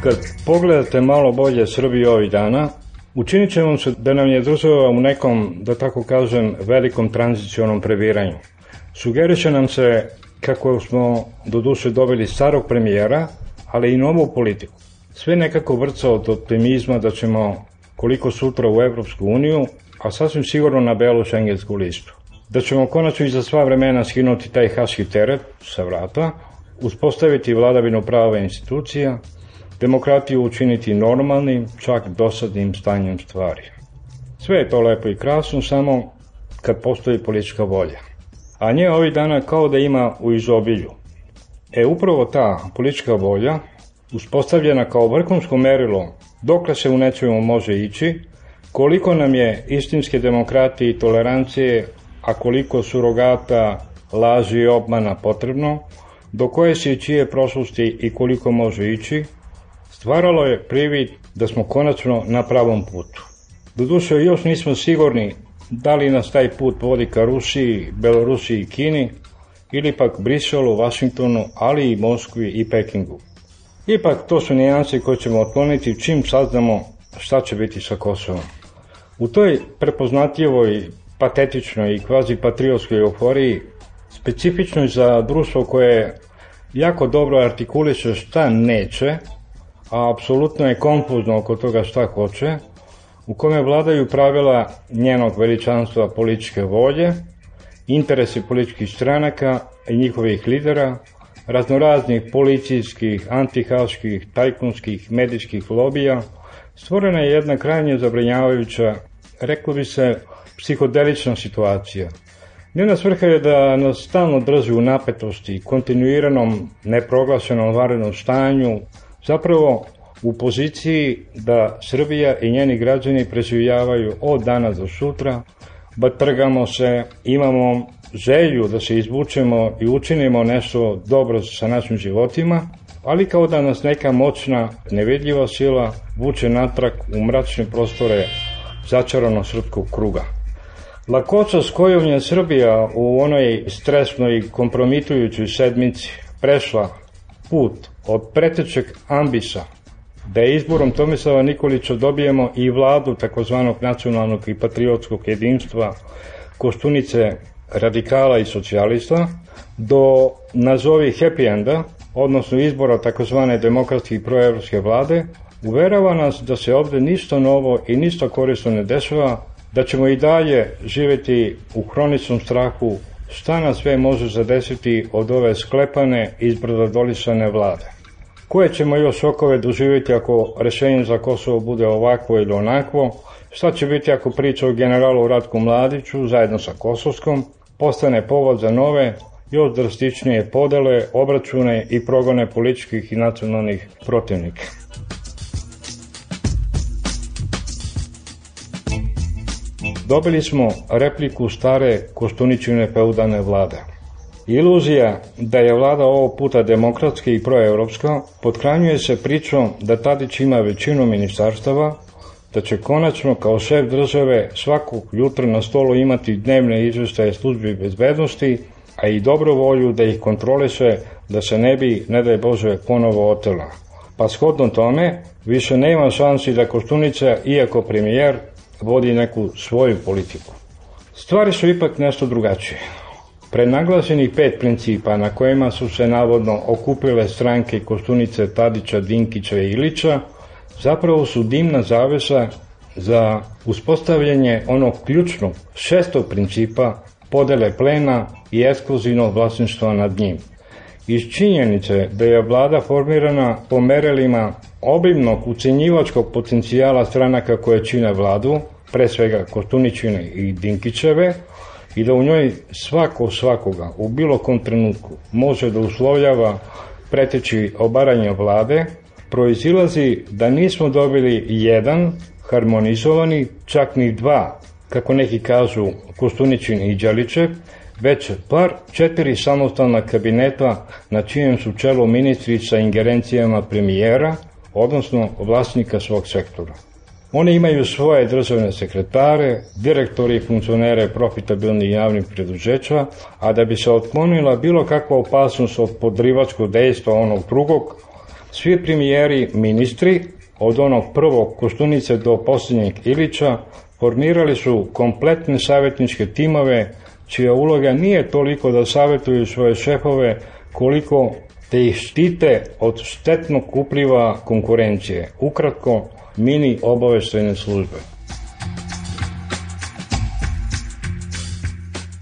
Speaker 12: Kad pogledate malo bolje Srbiju ovih dana, učinit će vam se da nam je država u nekom, da tako kažem, velikom tranzicionom previranju. Sugeriše nam se kako smo do duše dobili starog premijera, ali i novu politiku. Sve nekako vrca od optimizma da ćemo koliko sutra u Evropsku uniju, a sasvim sigurno na belu šengensku listu. Da ćemo konačno i za sva vremena skinuti taj haški teret sa vrata, uspostaviti vladavinu prava institucija, demokratiju učiniti normalnim, čak dosadnim stanjem stvari. Sve je to lepo i krasno, samo kad postoji politička volja. A nje ovih dana kao da ima u izobilju. Upravo ta politička volja, uspostavljena kao vrhunsko merilo dokle se u nečemu može ići, koliko nam je istinske demokratije i tolerancije, a koliko surogata, laži i obmana potrebno, do koje se i čije prošlosti i koliko može ići, stvaralo je privid da smo konačno na pravom putu. Doduše još nismo sigurni da li nas taj put vodi ka Rusiji, Belorusiji i Kini, ili pak Briselu, Vašingtonu, ali i Moskvi i Pekingu. Ipak to su nijanse koje ćemo otkloniti čim saznamo šta će biti sa Kosovom. U toj prepoznatljivoj, patetičnoj i kvazi-patriotskoj euforiji, specifičnoj za društvo koje jako dobro artikuliše šta neće, a apsolutno je konfuzno oko toga šta hoće, u kome vladaju pravila njenog veličanstva političke volje, interesi političkih stranaka i njihovih lidera, raznoraznih policijskih, antihaških, tajkunskih, medijskih lobija, stvorena je jedna krajnje zabrinjavajuća, reklo bi se, psihodelična situacija. Njena svrha je da nas stalno drži u napetosti, kontinuiranom, neproglašenom vanrednom stanju, zapravo u poziciji da Srbija i njeni građani preživljavaju od danas do sutra, batrgamo se, imamo želju da se izvučemo i učinimo nešto dobro sa našim životima, ali kao da nas neka moćna, nevidljiva sila vuče natrag u mračne prostore začarano srpskog kruga. Lakoća s kojom je Srbija u onoj stresnoj i kompromitujućoj sedmici prešla put od pretečeg ambisa da je izborom Tomislava Nikolića dobijemo i vladu takozvanog nacionalnog i patriotskog jedinstva Koštunice, radikala i socijalista, do nazovi happy enda, odnosno izbora takozvane demokratske i proevropske vlade, uverava nas da se ovde ništa novo i ništa korisno ne dešava, da ćemo i dalje živeti u hroničnom strahu šta nas sve može zadesiti od ove sklepane i izbrdodolisane vlade. Koje ćemo još šokove doživjeti ako rešenje za Kosovo bude ovakvo ili onakvo, šta će biti ako priča o generalu Ratku Mladiću zajedno sa Kosovskom postane povod za nove, još drastičnije podele, obračune i progone političkih i nacionalnih protivnika. Dobili smo repliku stare Koštuničine feudalne vlade. Iluzija da je vlada ovog puta demokratska i proevropska potkranjuje se pričom da Tadić ima većinu ministarstava, da će konačno kao šef države svakog jutra na stolu imati dnevne izveštaje službi bezbednosti, a i dobro volju da ih kontroliše da se ne bi, ne daj Bože, ponovo otela. Pa shodno tome, više nema šansi da Koštunica, iako premijer, vodi neku svoju politiku. Stvari su ipak nešto drugačije. Prenaglašenih 5 principa na kojima su se navodno okupile stranke Koštunice, Tadića, Dinkića i Ilića zapravo su dimna zavesa za uspostavljanje onog ključnog 6. principa podele plena i ekskluzivnog vlasništva nad njim. Iz činjenice da je vlada formirana po merilima obimnog ucenjivačkog potencijala stranaka koje čine vladu, pre svega Koštuničine i Dinkićeve, i da u njoj svako svakoga u bilo kom trenutku može da uslovljava preteći obaranje vlade, proizilazi da nismo dobili jedan harmonizovani, čak ni dva, kako neki kažu Koštuničin i Đelićev, već bar 4 samostalna kabineta na čijem su čelu ministri sa ingerencijama premijera, odnosno vlasnika svog sektora. Oni imaju svoje državne sekretare, direktori i funkcionere profitabilnih javnih preduzeća, a da bi se otklonila bilo kakva opasnost od podrivačkog dejstva onog drugog, svi premijeri, ministri, od onog prvog Koštunice do posljednjeg Ilića, formirali su kompletne savjetničke timove, čija uloga nije toliko da savjetuju svoje šefove, koliko te ih štite od štetnog upliva konkurencije. Ukratko, mini obaveštajne službe.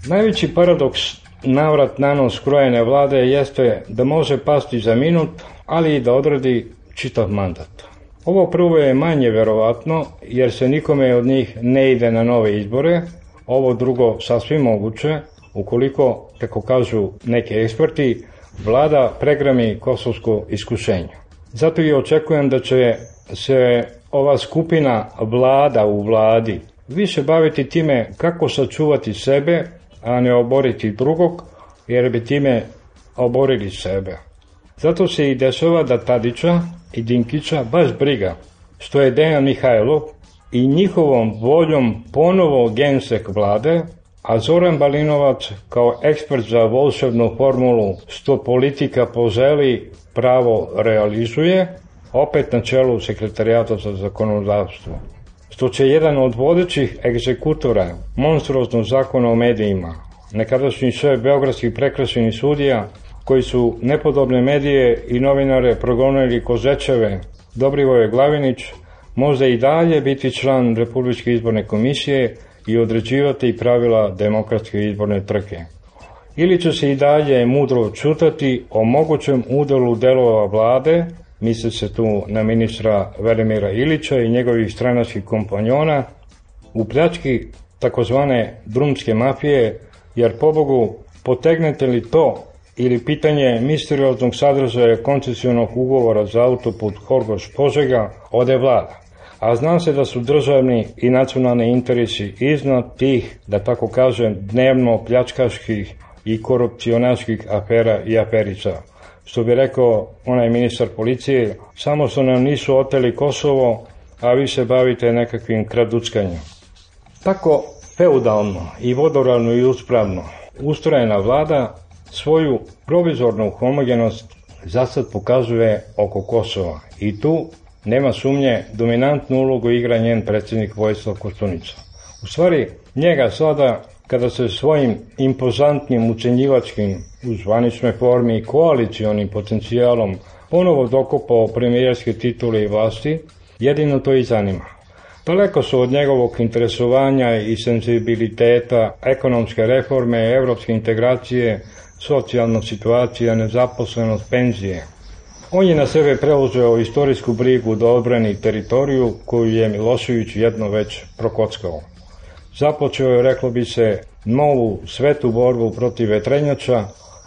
Speaker 12: Najveći paradoks navrat na nos krojene vlade jeste da može pasti za minut, ali i da odradi čitav mandat. Ovo prvo je manje verovatno, jer se nikome od njih ne ide na nove izbore, ovo drugo sasvim moguće, ukoliko, kako kažu neki eksperti, vlada pregrami kosovsko iskušenje. Zato i očekujem da će se ova skupina vlada u vladi više baviti time kako sačuvati sebe, a ne oboriti drugog, jer bi time oborili sebe. Zato se i dešava da Tadića i Dinkića baš briga što je Dejan Mihajlov i njihovom voljom ponovo gensek vlade, a Zoran Balinovac kao ekspert za volšebnu formulu što politika poželi pravo realizuje, opet na čelu sekretarijata za zakonodavstvo. Što će jedan od vodećih egzekutora monstruoznog zakona o medijima, nekadašnji šef beogradskih prekršajnih sudija, koji su nepodobne medije i novinare progonili ko zečeve, Dobrivoje Glavinić, možda i dalje biti član Republičke izborne komisije i određivati pravila demokratske izborne trke. Ili će se i dalje mudro čutati o mogućem udelu delova vlade, misli se tu na ministra Velimira Ilića i njegovih stranačkih kompanjona, u pljački takozvane drumske mafije, jer pobogu potegnete li to ili pitanje misterioznog sadržaja koncesionog ugovora za autoput Horgoš-Požega ode vlada. A zna se da su državni i nacionalni interesi iznad tih, da tako kažem, dnevno pljačkaških i korupcionaških afera i aferica. Što bi rekao onaj ministar policije, samo što nam nisu oteli Kosovo, a vi se bavite nekakvim kraduckanjem. Tako feudalno i vodoravno i uspravno ustrojena vlada svoju provizornu homogenost zasad pokazuje oko Kosova i tu nema sumnje dominantnu ulogu igra njen predsjednik Vojislav Koštunica. U stvari, njega sada, kada se svojim impozantnim ucenjivačkim u zvaničnoj formi i koalicionim potencijalom ponovo dokopao premijerske titule i vlasti, jedino to i zanima. Daleko su od njegovog interesovanja i senzibiliteta ekonomske reforme, evropske integracije, socijalna situacija, nezaposlenost, penzije. On je na sebe preuzeo istorijsku brigu da odbrani teritoriju koju je Milošević jedno već prokockao. Započeo je, reklo bi se, novu svetu borbu protiv vetrenjača,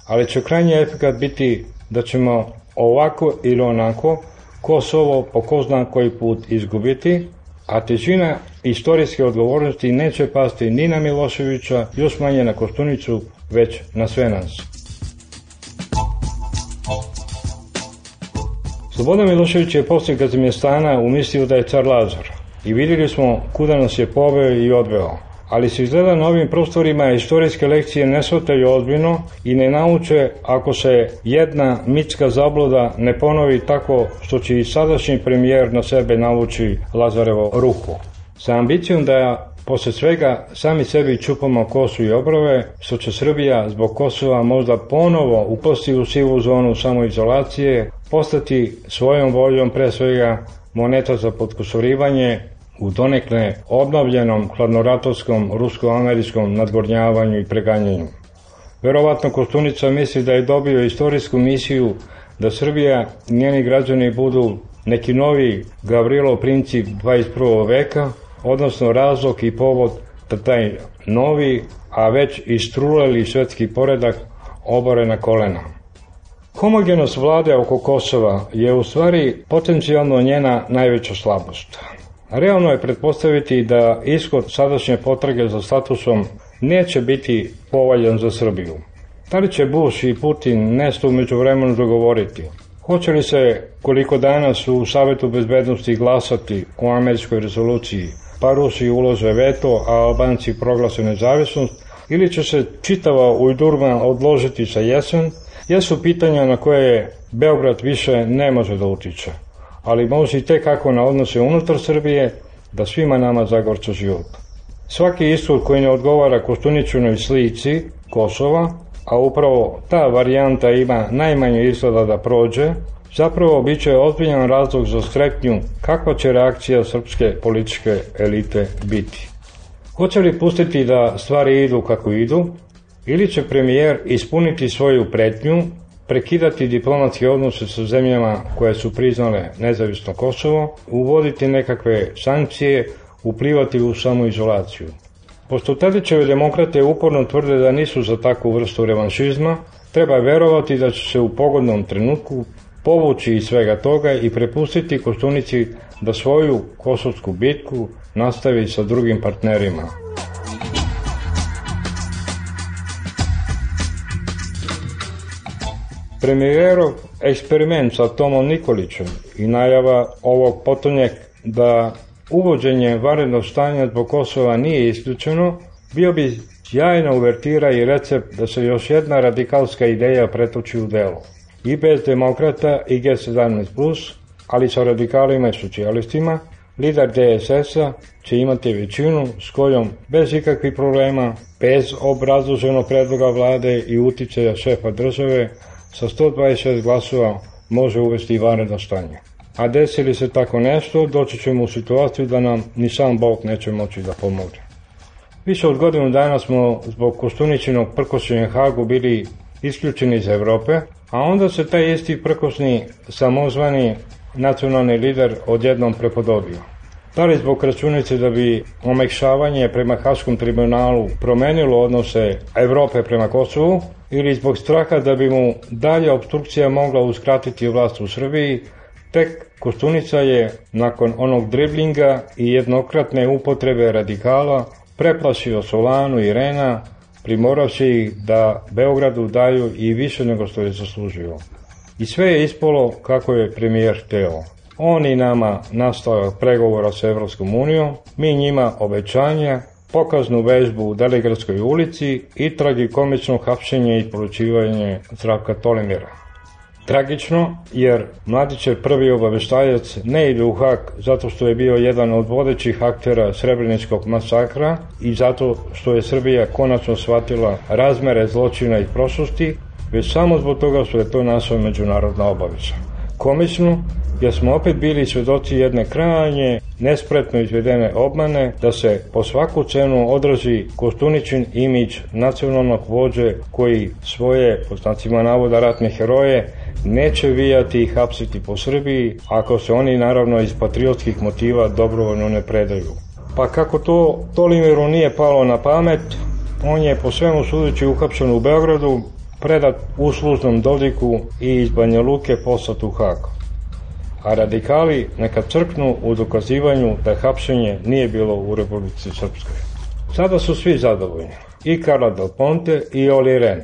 Speaker 12: ali će krajnji efekat biti da ćemo ovako ili onako Kosovo po ko zna koji put izgubiti, a težina istorijske odgovornosti neće pasti ni na Miloševića, još manje na Koštunicu, već na sve nas. Slobodan Milošević je poslije Kazimjestana umislio da je car Lazar i vidjeli smo kuda nas je poveo i odveo. Ali se izgleda na ovim prostorima istorijske lekcije ne shvataju ozbiljno i ne nauče ako se jedna mitska zabluda ne ponovi tako što će i sadašnji premijer na sebe navući Lazarevo ruku. Sa ambicijom da posle svega sami sebi čupamo kosu i obrove, što će Srbija zbog Kosova možda ponovo upasti u sivu zonu samoizolacije, postati svojom voljom pre svega moneta za potkusurivanje u donekle obnovljenom hladnoratorskom rusko-američkom nadgornjavanju i preganjanju. Verovatno Koštunica misli da je dobio istorijsku misiju da Srbija i njeni građani budu neki novi Gavrilov princip 21. veka, odnosno razlog i povod da taj novi, a već istruleli svetski poredak obore na kolena. Homogenost vlade oko Kosova je u stvari potencijalno njena najveća slabost. Realno je pretpostaviti da ishod sadašnje potrage za statusom neće biti povoljan za Srbiju. Da li će Bush i Putin nešto u međuvremenu dogovoriti? Hoće li se, koliko danas u Savetu bezbednosti glasati o američkoj rezoluciji, pa Rusi ulože veto, a Albanci proglase nezavisnost, ili će se čitava ujdurma odložiti sa jesen, jesu pitanja na koje Beograd više ne može da utiče, ali može i tekako na odnose unutar Srbije da svima nama zagorča život. Svaki ishod koji ne odgovara Koštuničinoj slici Kosova, a upravo ta varijanta ima najmanje izgleda da prođe, zapravo bit će ozbiljan razlog za strepnju kakva će reakcija srpske političke elite biti. Hoće li pustiti da stvari idu kako idu, ili će premijer ispuniti svoju pretnju, prekidati diplomatske odnose sa zemljama koje su priznale nezavisno Kosovo, uvoditi nekakve sankcije, uplivati u samoizolaciju. Pošto Tadićeve demokrate uporno tvrde da nisu za takvu vrstu revanšizma, treba verovati da će se u pogodnom trenutku povući iz svega toga i prepustiti Koštunici da svoju kosovsku bitku nastavi sa drugim partnerima. Premijerov eksperiment sa Tomom Nikolićem i najava ovog potonjeg da uvođenje vanrednog stanja zbog Kosova nije isključeno, bio bi sjajna uvertira i recept da se još jedna radikalska ideja pretoči u delo. I bez demokrata i G17+, ali sa radikalima i socijalistima, lider DSS-a će imati većinu s kojom bez ikakvih problema, bez obrazloženog predloga vlade i uticaja šefa države, sa 126 glasova može uvesti vanredno stanje. A desi li se tako nešto, doći ćemo u situaciju da nam ni sam Bog neće moći da pomogne. Više od godinu dana smo zbog Koštuničinog prkošenja Hagu bili isključeni iz Evrope, a onda se taj isti prkosni samozvani nacionalni lider odjednom prepodobio. Da li zbog računice da bi omekšavanje prema Haškom tribunalu promenilo odnose Evrope prema Kosovu, ili zbog straha da bi mu dalje obstrukcija mogla uskratiti vlast u Srbiji, tek Koštunica je, nakon onog driblinga i jednokratne upotrebe radikala, preplašio Solanu i Rena, primoravši ih da Beogradu daju i više nego što je zaslužio. I sve je ispalo kako je premijer hteo. On i nama nastavak pregovora sa Evropskom unijom, mi njima obećanja, pokaznu vežbu u Delegradskoj ulici i tragikomično hapšenje i poručivanje Zdravka Tolimira. Tragično, jer Mladićev prvi obaveštajac ne ide u Hag zato što je bio jedan od vodećih aktera Srebreničkog masakra i zato što je Srbija konačno shvatila razmere zločina i prošlosti, već samo zbog toga što je to naša međunarodna obaveza. Komično, jer smo opet bili svedoci jedne krajnje nespretno izvedene obmane da se po svaku cenu odrazi Koštuničin imidž nacionalnog vođe koji svoje, po znacima navoda, ratne heroje neće vijati i hapsiti po Srbiji ako se oni naravno iz patriotskih motiva dobrovoljno ne predaju. Pa kako to Tolimiru nije palo na pamet, on je po svemu sudeći uhapšen u Beogradu, predat uslužnom Dodiku i iz Banja Luke poslat u Hag. A radikali neka crknu u dokazivanju da hapšenje nije bilo u Republici Srpskoj. Sada su svi zadovoljni, i Carla Del Ponte i Oli Rehn,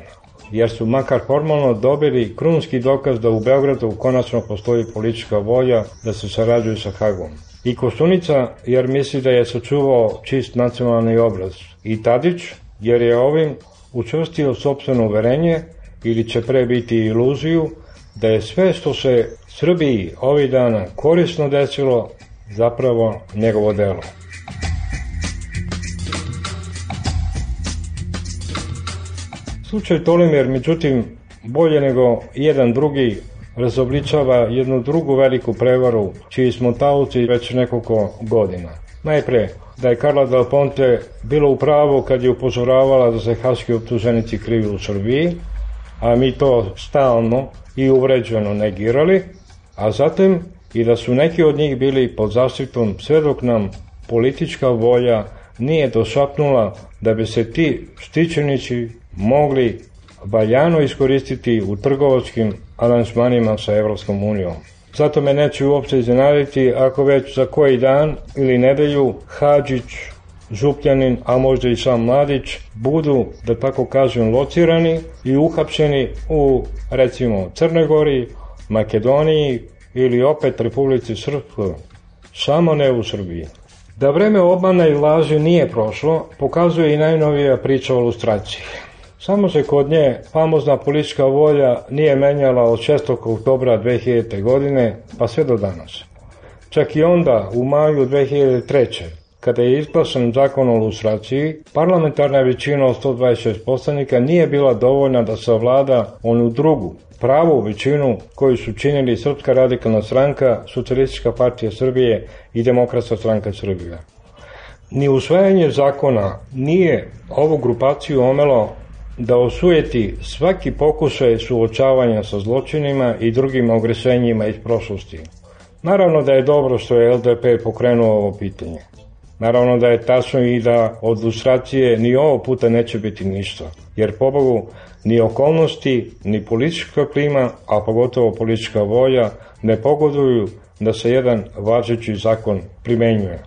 Speaker 12: jer su makar formalno dobili krunski dokaz da u Beogradu konačno postoji politička volja da se sarađuju sa Hagom. I Koštunica, jer misli da je sačuvao čist nacionalni obraz. I Tadić, jer je ovim učvrstio sopstveno uverenje, ili će pre biti iluziju, da je sve što se Srbiji ovih dana korisno desilo zapravo njegovo delo. Slučaj Tolimir, međutim, bolje nego jedan drugi, razobličava jednu drugu veliku prevaru, čiji smo taoci već nekoliko godina. Najpre, da je Carla Del Ponte bilo u pravu kad je upozoravala da se haški optuženici kriju u Srbiji, a mi to stalno i uvređeno negirali, a zatim i da su neki od njih bili pod zaštitom sve dok nam politička volja nije došapnula da bi se ti štićenici mogli valjano iskoristiti u trgovačkim aranžmanima sa Evropskom unijom. Zato me neće uopće iznenaditi ako već za koji dan ili nedelju Hadžić, Župljanin, a možda i sam Mladić budu, da tako kažem, locirani i uhapšeni u, recimo, Crnoj Gori, Makedoniji ili opet Republici Srpskoj, samo ne u Srbiji. Da vreme obmana i laži nije prošlo, pokazuje i najnovija priča o lustraciji. Samo se kod nje famozna politička volja nije menjala od 6. oktobra 2000. godine pa sve do danas. Čak i onda, u maju 2003. kada je izglasan zakon o lustraciji, parlamentarna većina od 126 poslanika nije bila dovoljna da savlada onu drugu, pravu većinu koju su činili Srpska radikalna stranka, Socijalistička partija Srbije i Demokratska stranka Srbije. Ni usvajanje zakona nije ovu grupaciju omelo da osujeti svaki pokušaj suočavanja sa zločinima i drugim ogresenjima iz prošlosti. Naravno da je dobro što je LDP pokrenuo ovo pitanje. Naravno da je tačno i da od lustracije ni ovo puta neće biti ništa, jer pobogu ni okolnosti, ni politička klima, a pogotovo politička volja, ne pogoduju da se jedan važeći zakon primenjuje.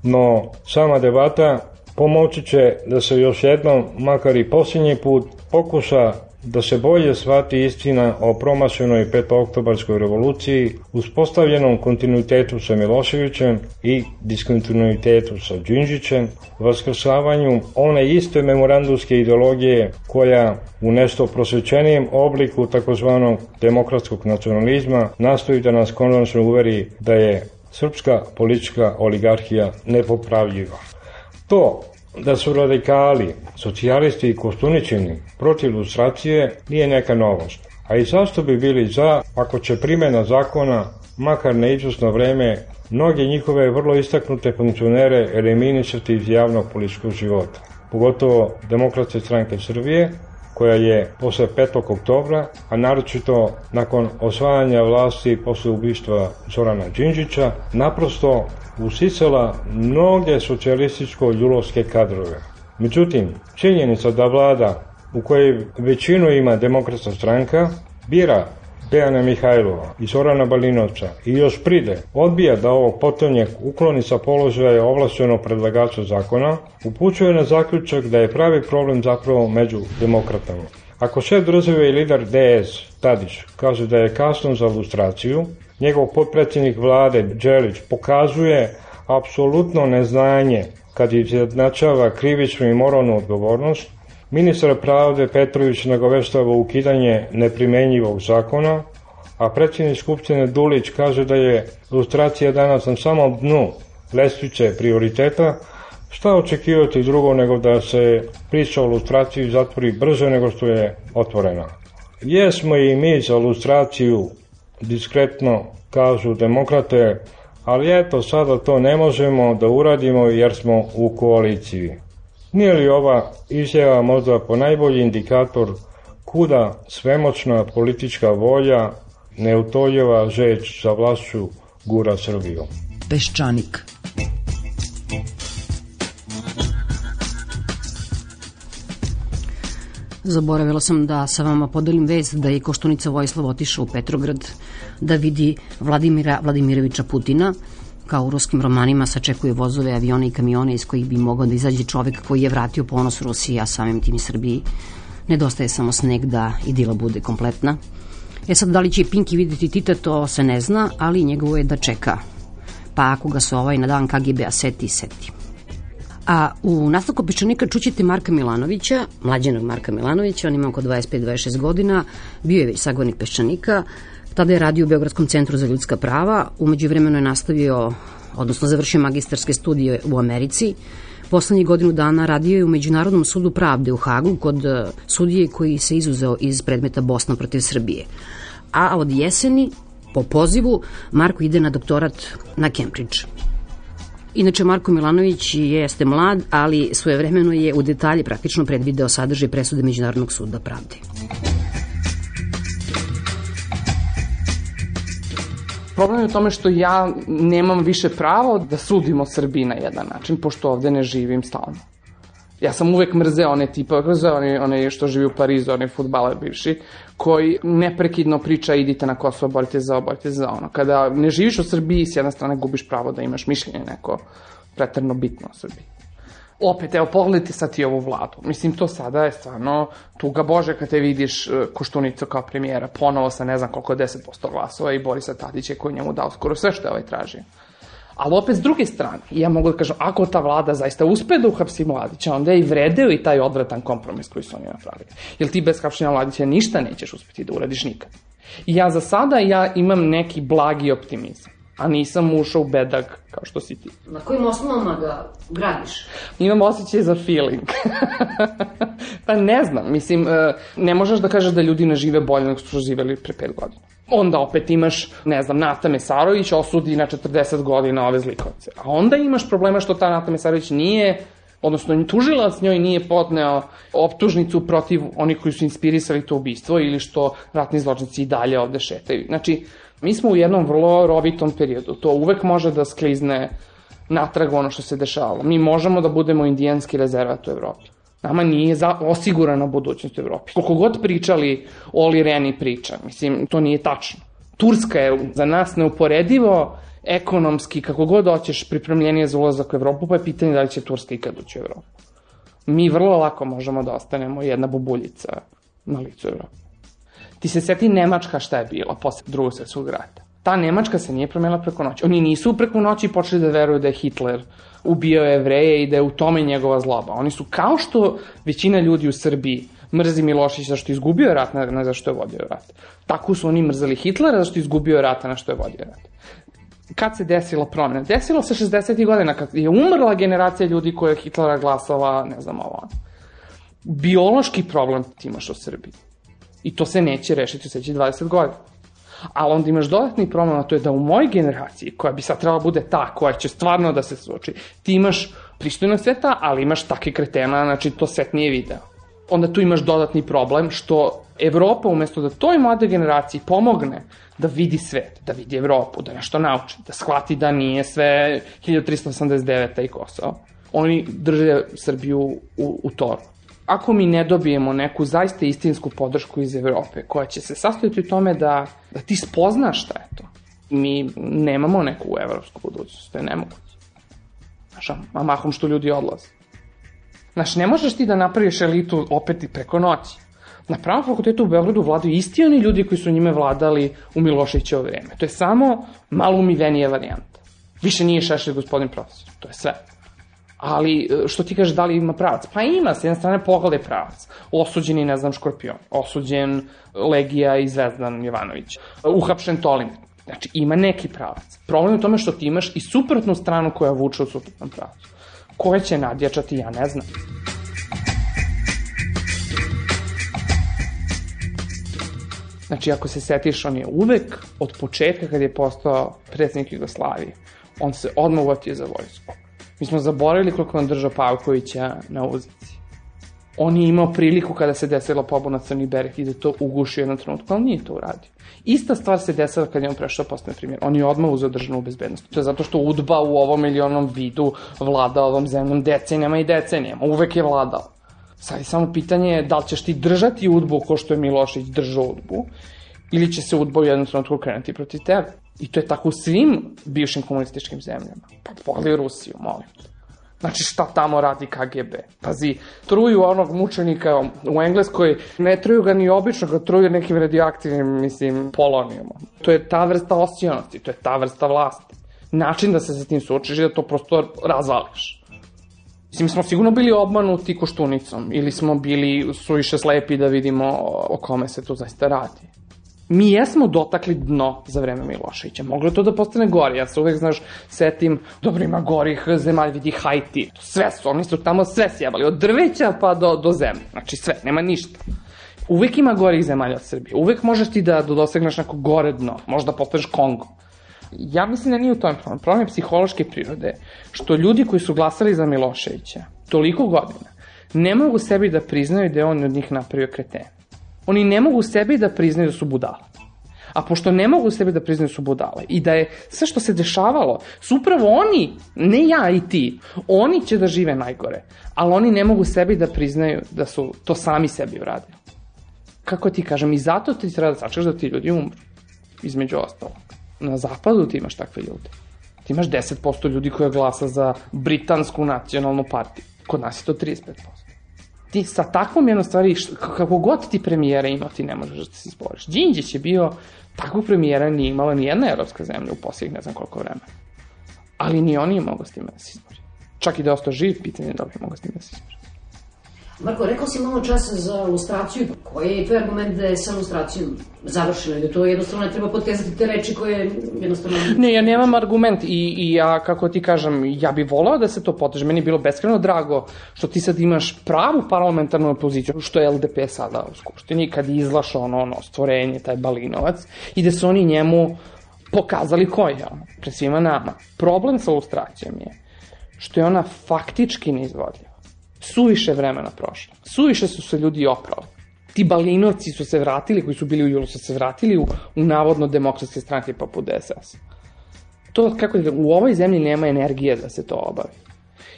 Speaker 12: No, sama debata pomoći će da se još jednom, makar i posljednji put, pokuša da se bolje shvati istina o promašenoj petooktobarskoj revoluciji, uspostavljenom kontinuitetu sa Miloševićem i diskontinuitetu sa Đinđićem, vaskrsavanju one iste memorandumske ideologije koja u nešto prosvećenijem obliku takozvanog demokratskog nacionalizma nastoji da nas konačno uveri da je srpska politička oligarhija nepopravljiva. To da su radikali, socijalisti i Koštuničini protiv lustracije nije neka novost. A i zašto bi bili za ako će primjena zakona, makar na izvesno vreme, mnoge njihove vrlo istaknute funkcionere eliminisati iz javnog političkog života. Pogotovo Demokratske stranke Srbije, koja je posle 5. oktobra, a naročito nakon osvajanja vlasti posle ubistva Zorana Đinđića, naprosto usisala mnoge socijalističko-ljulovske kadrove. Međutim, činjenica da vlada u kojoj većinu ima Demokratska stranka bira Dejana Mihajlova i Zorana Balinovca i još pride odbija da ovog potonjeg ukloni sa položaja ovlašćenog predlagača zakona, upućuje na zaključak da je pravi problem zapravo među demokratama. Ako šef države i lider DS, Tadić, kaže da je kasno za lustraciju, njegov potpredsjednik vlade Đelić pokazuje apsolutno neznanje kad izjednačava krivičnu i moralnu odgovornost, ministar pravde Petrović nagoveštava ukidanje neprimenjivog zakona, a predsjednik Skupštine Dulić kaže da je lustracija danas na samom dnu lestvice prioriteta. Šta očekivati drugo nego da se priča o lustraciji zatvori brže nego što je otvorena? Jesmo i mi za lustraciju, diskretno kažu demokrate, ali eto sada to ne možemo da uradimo jer smo u koaliciji. Nije li ova izjava možda ponajbolji indikator kuda svemoćna politička volja, neutoljeva žeć za vlašću gura Srbiju?
Speaker 11: Peščanik.
Speaker 8: Zaboravila sam da sa vama podelim vest da je Koštunica Vojislav otišao u Petrograd da vidi Vladimira Vladimiroviča Putina. Kao u ruskim romanima sačekuje vozove, avione i kamione iz kojih bi mogao da izađe čovek koji je vratio ponos Rusiji, a samim tim i Srbiji. Nedostaje samo sneg da idila bude kompletna. Sad, da li će Pinki videti Tita, to se ne zna, ali njegovo je da čeka. Pa ako ga se na dan KGB-a seti. A u nastavku Peščanika čućete Marka Milanovića, mlađenog Marka Milanovića, on ima oko 25-26 godina, bio je već sagovornik Peščanika, tada je radio u Beogradskom centru za ljudska prava, umeđu vremenu je nastavio, odnosno završio magistarske studije u Americi, poslednjih godinu dana radio je u Međunarodnom sudu pravde u Hagu kod sudije koji se izuzeo iz predmeta Bosna protiv Srbije. A od jeseni, po pozivu, Marko ide na doktorat na Cambridge. Inače, Marko Milanović jeste mlad, ali svojevremeno je u detalji praktično predvideo sadržaj presude Međunarodnog suda pravde.
Speaker 13: Problem je u tome što ja nemam više pravo da sudim o Srbiji na jedan način, pošto ovde ne živim stalno. Ja sam uvek mrzeo one tipa, one što živi u Parizu, one fudbaler bivši, koji neprekidno priča idite na Kosovo, borite za ono. Kada ne živiš u Srbiji, s jedne strane gubiš pravo da imaš mišljenje neko preterno bitno u Srbiji. Opet, evo, pogledajte sad i ovu vladu. Mislim, to sada je stvarno tuga Bože kad te vidiš Koštunicu kao premijera, ponovo sa ne znam koliko 10% glasova i Borisa Tadića koji njemu dao skoro sve što je ovaj tražio. Ali opet s druge strane, ja mogu da kažem, ako ta vlada zaista uspe da uhapsi Mladića, onda je i vredeo i taj odvratan kompromis koji su oni napravili. Jer ti bez hapšenja Mladića ništa nećeš uspeti da uradiš nikad. I ja za sada imam neki blagi optimizam, a nisam ušao u bedak kao što si ti.
Speaker 8: Na kojim osnovama ga gradiš?
Speaker 13: Imam osjećaj za feeling. Pa ne znam, mislim, ne možeš da kažeš da ljudi ne žive bolje nego što su živeli pre 5 godina. Onda opet imaš, ne znam, Nata Mesarović osudi na 40 godina ove zlikovce. A onda imaš problema što ta Nata Mesarović nije, odnosno tužilac njoj nije podneo optužnicu protiv onih koji su inspirisali to ubistvo ili što ratni zločinci i dalje ovde šetaju. Znači, mi smo u jednom vrlo rovitom periodu. To uvek može da sklizne natrag ono što se dešavalo. Mi možemo da budemo indijanski rezervat u Evropi. Nama nije osigurana budućnost u Evropi. Koliko god pričali Oli Reni priča, mislim, to nije tačno. Turska je za nas neuporedivo ekonomski, kako god hoćeš, pripremljenije za ulazak u Evropu, pa je pitanje da li će Turska ikad ući u Evropu. Mi vrlo lako možemo da ostanemo jedna bubuljica na licu Evrope. Ti se seti Nemačka šta je bila posle Drugog svjetskog rata. Ta Nemačka se nije promenila preko noći. Oni nisu preko noći počeli da veruju da je Hitler ubio Jevreje i da je u tome njegova zloba. Oni su, kao što većina ljudi u Srbiji mrzi Miloševića zašto je izgubio rat, ne zašto je vodio rat. Tako su oni mrzeli Hitlera zašto je izgubio rat, na što je vodio rat. Kad se desila promjena? Desilo se 60. godina, kad je umrla generacija ljudi koja je Hitlera glasala, ne znam ovo. Biološki problem ti imaš u Srbiji. I to se neće rešiti u sledećih 20 godina. Ali onda imaš dodatni problem, a to je da u mojoj generaciji, koja bi sad trebala bude ta koja će stvarno da se suoči, ti imaš pristojnog sveta, ali imaš takve kretena, znači to svet nije video. Onda tu imaš dodatni problem što Evropa, umesto da toj mladoj generaciji pomogne da vidi svet, da vidi Evropu, da nešto nauči, da shvati da nije sve 1389. i Kosovo, oni drže Srbiju u toru. Ako mi ne dobijemo neku zaista istinsku podršku iz Evrope, koja će se sastojiti u tome da ti spoznaš šta je to, mi nemamo neku evropsku budućnost, to je nemoguće. Znaš, a mahom što ljudi odlaze. Znaš, ne možeš ti da napraviš elitu opet i preko noći. Na Pravnom fakultetu u Beogradu vladaju isti oni ljudi koji su njime vladali u Miloševićevo vreme. To je samo malo umivenija varijanta. Više nije Šešelj gospodin profesor, to je sve. Ali, što ti kažeš, da li ima pravac? Pa ima, s jedne strane pogledaj pravac. Osuđeni, ne znam, Škorpion. Osuđen Legija i Zvezdan Jovanović. Uhapšen Tolin. Znači, ima neki pravac. Problem je u tome što ti imaš i suprotnu stranu koja vuče u suprotnom pravacu. Koje će nadjačati, ja ne znam. Znači, ako se setiš, on je uvek od početka kad je postao predsjednik Jugoslavije, on se odmah uvatio za vojsku. Mi smo zaboravili koliko on držao Pavkovića na uzici. On je imao priliku kada se desila pobuna Crni Bereg i da to uguši u jednom trenutku, ali nije to uradio. Ista stvar se desila kad je on prešao postane premijer. On je odmah uzeo državnu bezbednost. To je zato što UDBA u ovom ili onom vidu vlada ovom zemljom decenijama i decenijama. Uvek je vladao. Sad je samo pitanje da li ćeš ti držati UDBU ko što je Milošević držao UDBU ili će se UDBA u jednom trenutku krenuti protiv tebe. I to je tako u svim bivšim komunističkim zemljama. Pa pogledaj Rusiju, molim. Znači šta tamo radi KGB? Pazi, truju onog mučenika u Engleskoj, ne truju ga ni obično, ga truju nekim radioaktivnim, mislim, polonijumom. To je ta vrsta osionosti, to je ta vrsta vlasti. Način da se sa tim suočiš je da to prosto razvališ. Mislim, smo sigurno bili obmanuti Koštunicom ili smo bili suviše slepi da vidimo o kome se tu zaista radi. Mi jesmo dotakli dno za vreme Miloševića. Moglo je to da postane gore. Ja se uvek, znaš, setim, dobro, ima gorih zemalja, vidi Haiti. Sve su, oni su tamo sve sjebali. Od drveća pa do zemlje. Znači sve, nema ništa. Uvek ima gorih zemalja od Srbije. Uvek možeš ti da dosegneš neko gore dno. Možda postaneš Kongo. Ja mislim da nije u tom problem. Problem je psihološke prirode. Što ljudi koji su glasali za Miloševića toliko godina ne mogu sebi da priznaju da je on od njih napravio kretena. Oni ne mogu sebi da priznaju da su budala. A pošto ne mogu sebi da priznaju su budale i da je sve što se dešavalo, su upravo oni, ne ja i ti, oni će da žive najgore, ali oni ne mogu sebi da priznaju da su to sami sebi uradili. Kako ti kažem, i zato ti treba da sačekaš da ti ljudi umru, između ostalog. Na zapadu ti imaš takve ljude. Ti imaš 10% ljudi koja glasa za britansku nacionalnu partiju. Kod nas je to 35%. Ti sa takvom jednom stvari, kako god ti premijera imao, ti ne možeš da se izboriš. Đinđić je bio, takvog premijera nije imala ni jedna evropska zemlja u posljednjih ne znam koliko vremena. Ali ni on nije mogao s time da se izbori. Čak i da je ostao živ, pitanje da li je mogao s time da se izbori.
Speaker 8: Marko, rekao si malo časa za lustraciju. Koji je tvoj argument da je sa lustracijom završeno i da to jednostavno ne treba potezati te reči koje jednostavno...
Speaker 13: Ne, ja nemam argument i ja, kako ti kažem, ja bih volao da se to poteže. Meni je bilo beskreno drago što ti sad imaš pravu parlamentarnu opoziciju, što je LDP sada u Skupštini, kad je izlašao ono stvorenje, taj Balinovac, i da su oni njemu pokazali ko je on, pred svima nama. Problem sa lustracijom je što je ona faktički neizvodljiva. Suviše vremena prošlo. Suviše su se ljudi oprali. Ti Balinovci su se vratili, koji su bili u julu, su se vratili u navodno demokratske stranke poput DSS. To, kako je, u ovoj zemlji nema energije da se to obavi.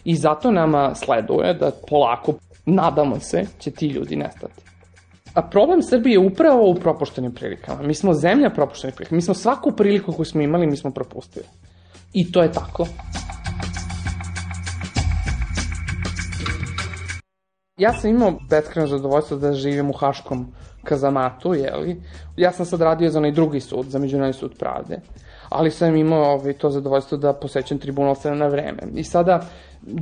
Speaker 13: I zato nama sleduje da polako, nadamo se, će ti ljudi nestati. A problem Srbije je upravo u propuštenim prilikama. Mi smo zemlja propuštenih prilika. Mi smo svaku priliku koju smo imali, mi smo propustili. I to je tako. Ja sam imao beskrajno zadovoljstvo da živim u Haškom kazamatu, jeli? Ja sam sad radio za onaj drugi sud, za Međunarodni sud pravde, ali sam imao to zadovoljstvo da posećam tribunal sve na vreme. I sada,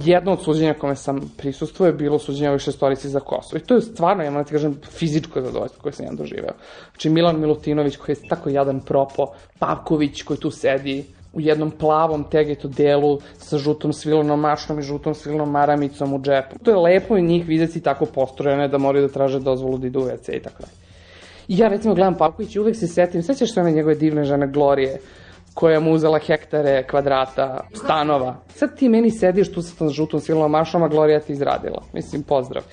Speaker 13: jedno od suđenja kome sam prisustvovao je bilo suđenje ovih šestorici za Kosovo. I to je stvarno, ja moram ti kažem, fizičko zadovoljstvo koje sam ja doživeo. Znači, Milan Milutinović, koji je tako jadan propo, Pavković, koji tu sedi u jednom plavom tegetu delu sa žutom svilenom mašnom i žutom svilenom maramicom u džepu. To je lepo i njih vidjeti tako postrojene da moraju da traže dozvolu da idu u WC i tako dalje. I ja recimo gledam Pavković i uvek se setim, sećaš se one njegove divne žene Glorije, koja mu uzela hektare, kvadrata, stanova. Sad ti meni sediš tu sa tom žutom svilenom mašnom, a Glorija ti izradila. Mislim, pozdrav.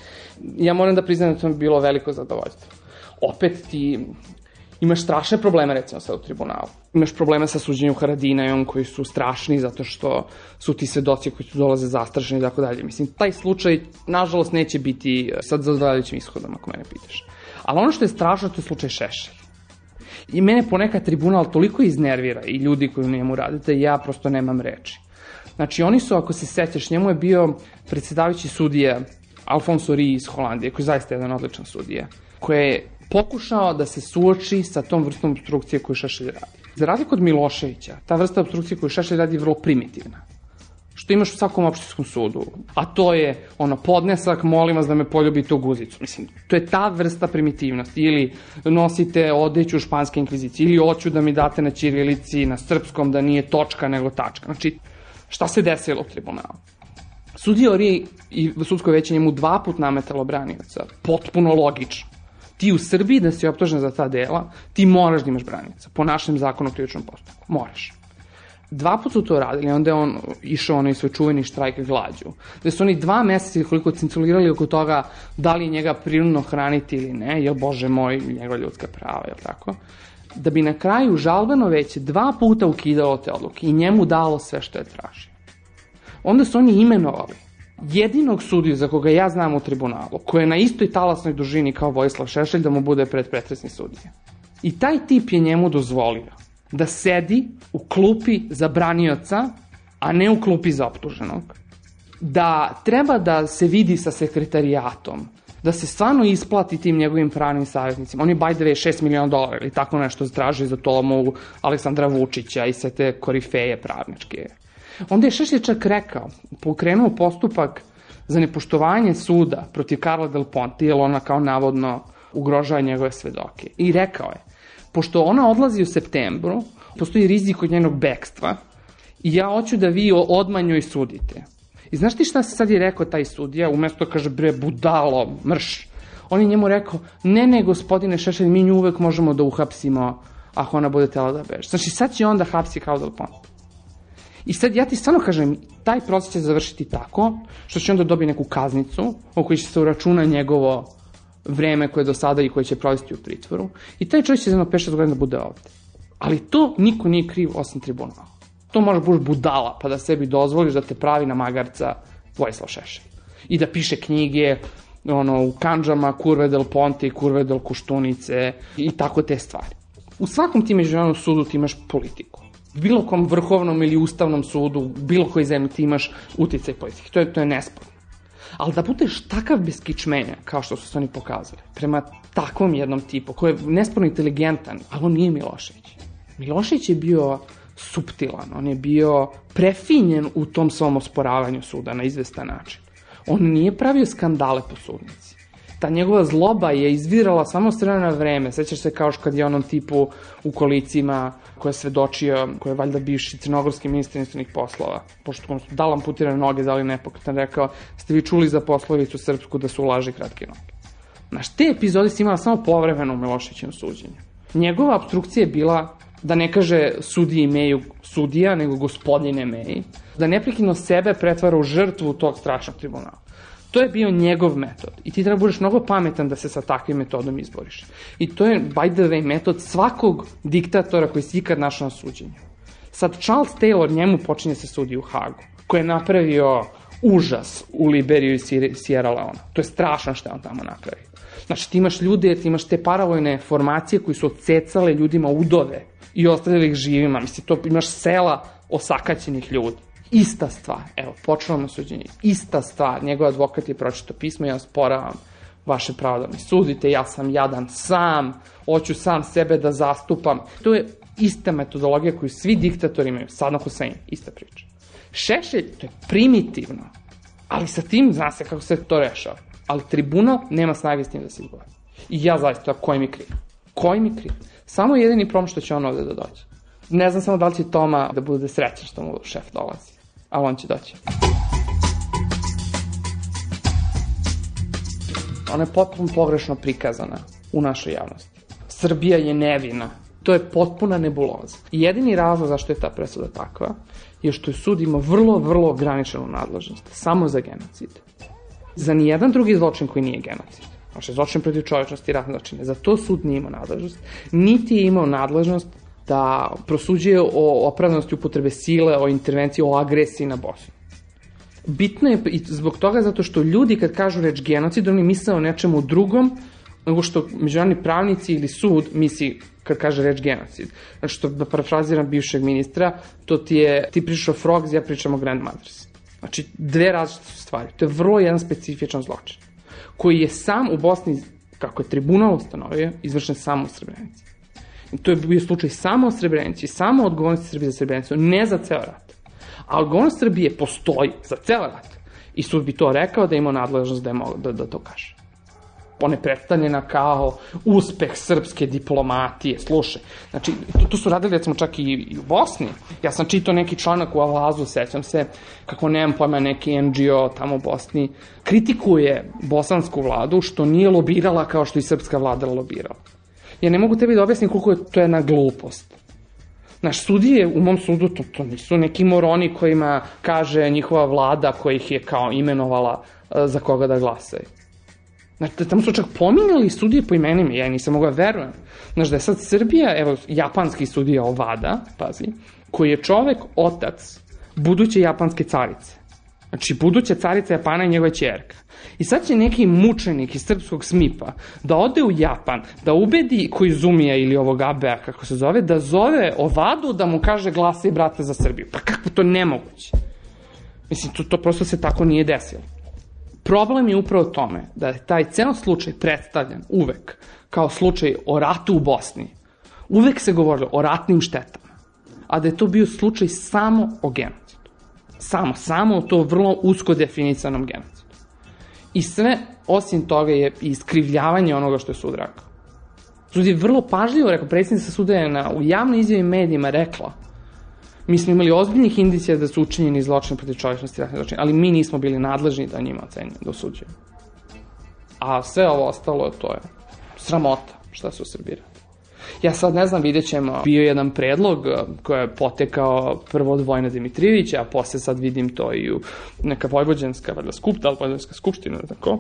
Speaker 13: Ja moram da priznam da to mi bilo veliko zadovoljstvo. Opet ti imaš strašne probleme, recimo, sad u tribunalu. Imaš probleme sa suđenjem Haradinajom, koji su strašni zato što su ti svedoci koji tu dolaze zastrašeni i tako dalje. Mislim, taj slučaj, nažalost, neće biti sad zadovoljavajućim ishodom, ako mene pitaš. Ali ono što je strašno, to je slučaj Šešelj. I mene ponekad tribunal toliko iznervira i ljudi koji u njemu radite, ja prosto nemam reči. Znači, oni su, ako se sećaš, njemu je bio predsjedavajući sudija Alfonso Ri iz Holandije, koji je zaista jedan odličan sudija, koji je pokušao da se suoči sa tom vrstom obstrukcije koju Šešelj radi. Za razliku od Miloševića, ta vrsta obstrukcije koju Šešelj radi je vrlo primitivna. Što imaš u svakom opštinskom sudu. A to je podnesak, molim vas da me poljubite u guzicu. Mislim, to je ta vrsta primitivnosti. Ili nosite odeću španske inkvizicije, ili hoću da mi date na ćirilici, na srpskom, da nije točka nego tačka. Znači, šta se desilo u tribunalu? Sudija Ori i sudsko veće njemu 2 puta nametalo branioca. Potpuno logično. Ti u Srbiji da si optužen za ta dela, ti moraš da imaš branioca. Po našem zakonu o krivičnom postupku. Moraš. 2 puta su to radili, onda je on išao onaj svoj čuveni štrajk glađu. Da su oni 2 meseca koliko cinculirali oko toga da li njega prirodno hraniti ili ne, jer bože moj, njegova ljudska prava, jel tako? Da bi na kraju žalbeno veće 2 puta ukidalo te odluke i njemu dalo sve što je tražio. Onda su oni imenovali jedinog sudiju za koga ja znam u tribunalu, koji je na istoj talasnoj dužini kao Vojislav Šešelj, da mu bude predpretresni sudija. I taj tip je njemu dozvolio da sedi u klupi za branioca, a ne u klupi za optuženog. Da treba da se vidi sa sekretarijatom, da se stvarno isplati tim njegovim pravnim savjetnicima. On je, by the way, $6 miliona ili tako nešto traži za tomu Aleksandra Vučića i sve te korifeje pravničke. Onda je Šešelj čak rekao, pokrenuo postupak za nepoštovanje suda protiv Karla Del Ponte, jer ona kao navodno ugrožava njegove svedoke. I rekao je, pošto ona odlazi u septembru, postoji rizik od njenog bekstva i ja hoću da vi odmah njoj sudite. I znaš ti šta se sad je rekao taj sudija, umesto kaže bre budalo, mrš. On je njemu rekao, ne gospodine Šešelj, mi nju uvek možemo da uhapsimo ako ona bude tela da beže. Znači sad će on da hapsi kao Del Ponte. I sad ja ti stvarno kažem, taj proces će završiti tako što će onda dobiti neku kaznicu o kojoj će se uračuna njegovo vreme koje do sada i koje će provesti u pritvoru i taj čovjek će za 5-6 godina da bude ovde. Ali to niko nije kriv osim tribunala. To možeš buš budala pa da sebi dozvoliš da te pravi na magarca Vojislav Šešelj. I da piše knjige u Kandžama, Curve del Ponte i Curve del Koštunice i tako te stvari. U svakom ti međunarodnom sudu ti imaš politiku. U bilo kom vrhovnom ili ustavnom sudu, u bilo koji zemlji ti imaš uticaj politike. To je nesporno. Ali da budeš takav beskičmenja, kao što su se oni pokazali, prema takvom jednom tipu, koji je nesporno inteligentan, ali on nije Milošević. Milošević je bio suptilan, on je bio prefinjen u tom svom osporavanju suda na izvestan način. On nije pravio skandale po sudnici. Ta njegova zloba je izvirala samo s vremena na vreme. Sećaš se kao kad je onom tipu u kolicima koja je svedočio, koja je valjda bivši crnogorski ministar inostranih poslova, pošto su dal amputirane noge, da li nepokretan, rekao, ste vi čuli za poslovicu srpsku da su u laži kratke noge. Znaš, te epizode si imala samo povremeno u Miloševićevom suđenju. Njegova obstrukcija je bila da ne kaže sudiji Meju sudija, nego gospodine Meji, da neprekidno sebe pretvara u žrtvu tog strašnog tribunala. To je bio njegov metod i ti treba budeš mnogo pametan da se sa takvim metodom izboriš. I to je, by the way, metod svakog diktatora koji si ikad našao na suđenju. Sad Charles Taylor, njemu počinje se sudi u Hagu, koji je napravio užas u Liberiju i Sierra Leone. To je strašno što je on tamo napravio. Znači ti imaš ljude, ti imaš te paravojne formacije koji su odsecale ljudima udove i ostavljali ih živima. Mislim, to imaš sela osakaćenih ljudi. Ista stvar, evo, počelo na suđenje, ista stvar, njegov advokat je pročitao pismo, ja sporavam vaše pravo da mi sudite, ja sam jadan sam, hoću sam sebe da zastupam. To je ista metodologija koju svi diktatori imaju, Saddam Hussein, ista priča. Šešelj, to je primitivno, ali sa tim zna se kako se to rešava. Ali tribunal nema snage s tim da se izbori. I ja zaista, koji mi kriv? Koji mi kriv? Samo jedini problem što će on ovde da dođe. Ne znam samo da li će Toma da bude srećan što mu šef dolazi. Ali on će doći. Ona je potpuno pogrešno prikazana u našoj javnosti. Srbija je nevina. To je potpuna nebuloza. I jedini razlog zašto je ta presuda takva je što je sud ima vrlo, vrlo ograničenu nadležnost. Samo za genocid. Za nijedan drugi zločin koji nije genocid. Znači, zločin protiv čovečnosti i ratne zločine. Za to sud nije imao nadležnost. Niti je imao nadležnost da prosuđuje o opravdanosti upotrebe sile, o intervenciji, o agresiji na Bosnu. Bitno je i zbog toga zato što ljudi kad kažu reč genocid, oni misle o nečemu drugom nego što međunarodni pravnici ili sud misli kad kaže reč genocid. Znači što, da parafraziram bivšeg ministra, to ti pričaš o frogs, ja pričam o grandmothers. Znači dve različite stvari. To je vrlo jedan specifičan zločin koji je sam u Bosni, kako je tribunal ustanovio, izvršen samo u Srebrenici. To je bio slučaj samo o Srebrenici, samo odgovornosti Srbije za Srebrenicu, ne za ceo rat. A odgovornost Srbije postoji za ceo rat. I sud bi to rekao da ima nadležnost da to kaže. Ona je predstavljena kao uspeh srpske diplomatije. Slušaj, znači, to su radili recimo čak i u Bosni. Ja sam čitao neki članak u Avazu, sećam se, kako nemam pojma, neki NGO tamo u Bosni kritikuje bosansku vladu što nije lobirala kao što i srpska vlada lobirala. Ja ne mogu tebi da objasnim koliko je to jedna glupost. Naš sudije, u mom sudu, to nisu neki moroni kojima kaže njihova vlada koja ih je kao imenovala za koga da glasaju. Znači, tamo su čak pominjali sudije po imenima, ja nisam mogla verujem. Znači, da je sad Srbija, evo, japanski sudija Ovada, pazi, koji je čovek, otac, buduće japanske carice. Znači, buduća carica Japana i njegova ćerka. I sad će neki mučenik iz srpskog SMIP-a da ode u Japan, da ubedi Koizumija ili ovog Abea, kako se zove, da zove Ovadu da mu kaže glasaj brate za Srbiju. Pa kako to nemoguće? Mislim, to prosto se tako nije desilo. Problem je upravo tome da je taj ceo slučaj predstavljen uvek kao slučaj o ratu u Bosni. Uvek se govorilo o ratnim štetama, a da je to bio slučaj samo o genocidu. Samo o to vrlo usko definisanom genocidu. I sve, osim toga, je iskrivljavanje onoga što je sud rekao. Sud je vrlo pažljivo rekao, predsjednica suda je u javnoj izjavi medijima rekla, mi smo imali ozbiljnih indicija da su učinjeni zločini protiv čovečnosti i ratnih zločina, ali mi nismo bili nadležni da njima ocenjujemo, da osuđujemo. A sve ovo ostalo, to je sramota šta se u Srbiji radi. Ja sad ne znam, vidjet ćemo, bio jedan predlog koji je potekao prvo od Vojna Dimitrijevića, a posle sad vidim to i u neka vojvođanska skupština, tako,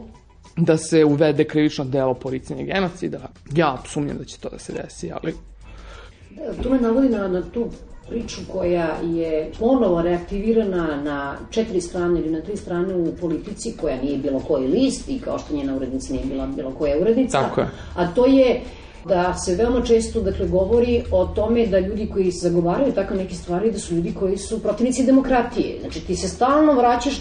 Speaker 13: da se uvede krivično delo poricanja genocida. Ja sumnjam da će to da se desi, ali...
Speaker 8: To me navodi na tu priču koja je ponovo reaktivirana na 4 strane ili na 3 strane u Politici, koja nije bilo koji list i kao što njena urednica nije bila bilo koja urednica.
Speaker 13: Tako je.
Speaker 8: A to je da se veoma često govori o tome da ljudi koji zagovaraju tako neke stvari, da su ljudi koji su protivnici demokratije. Znači ti se stalno vraćaš,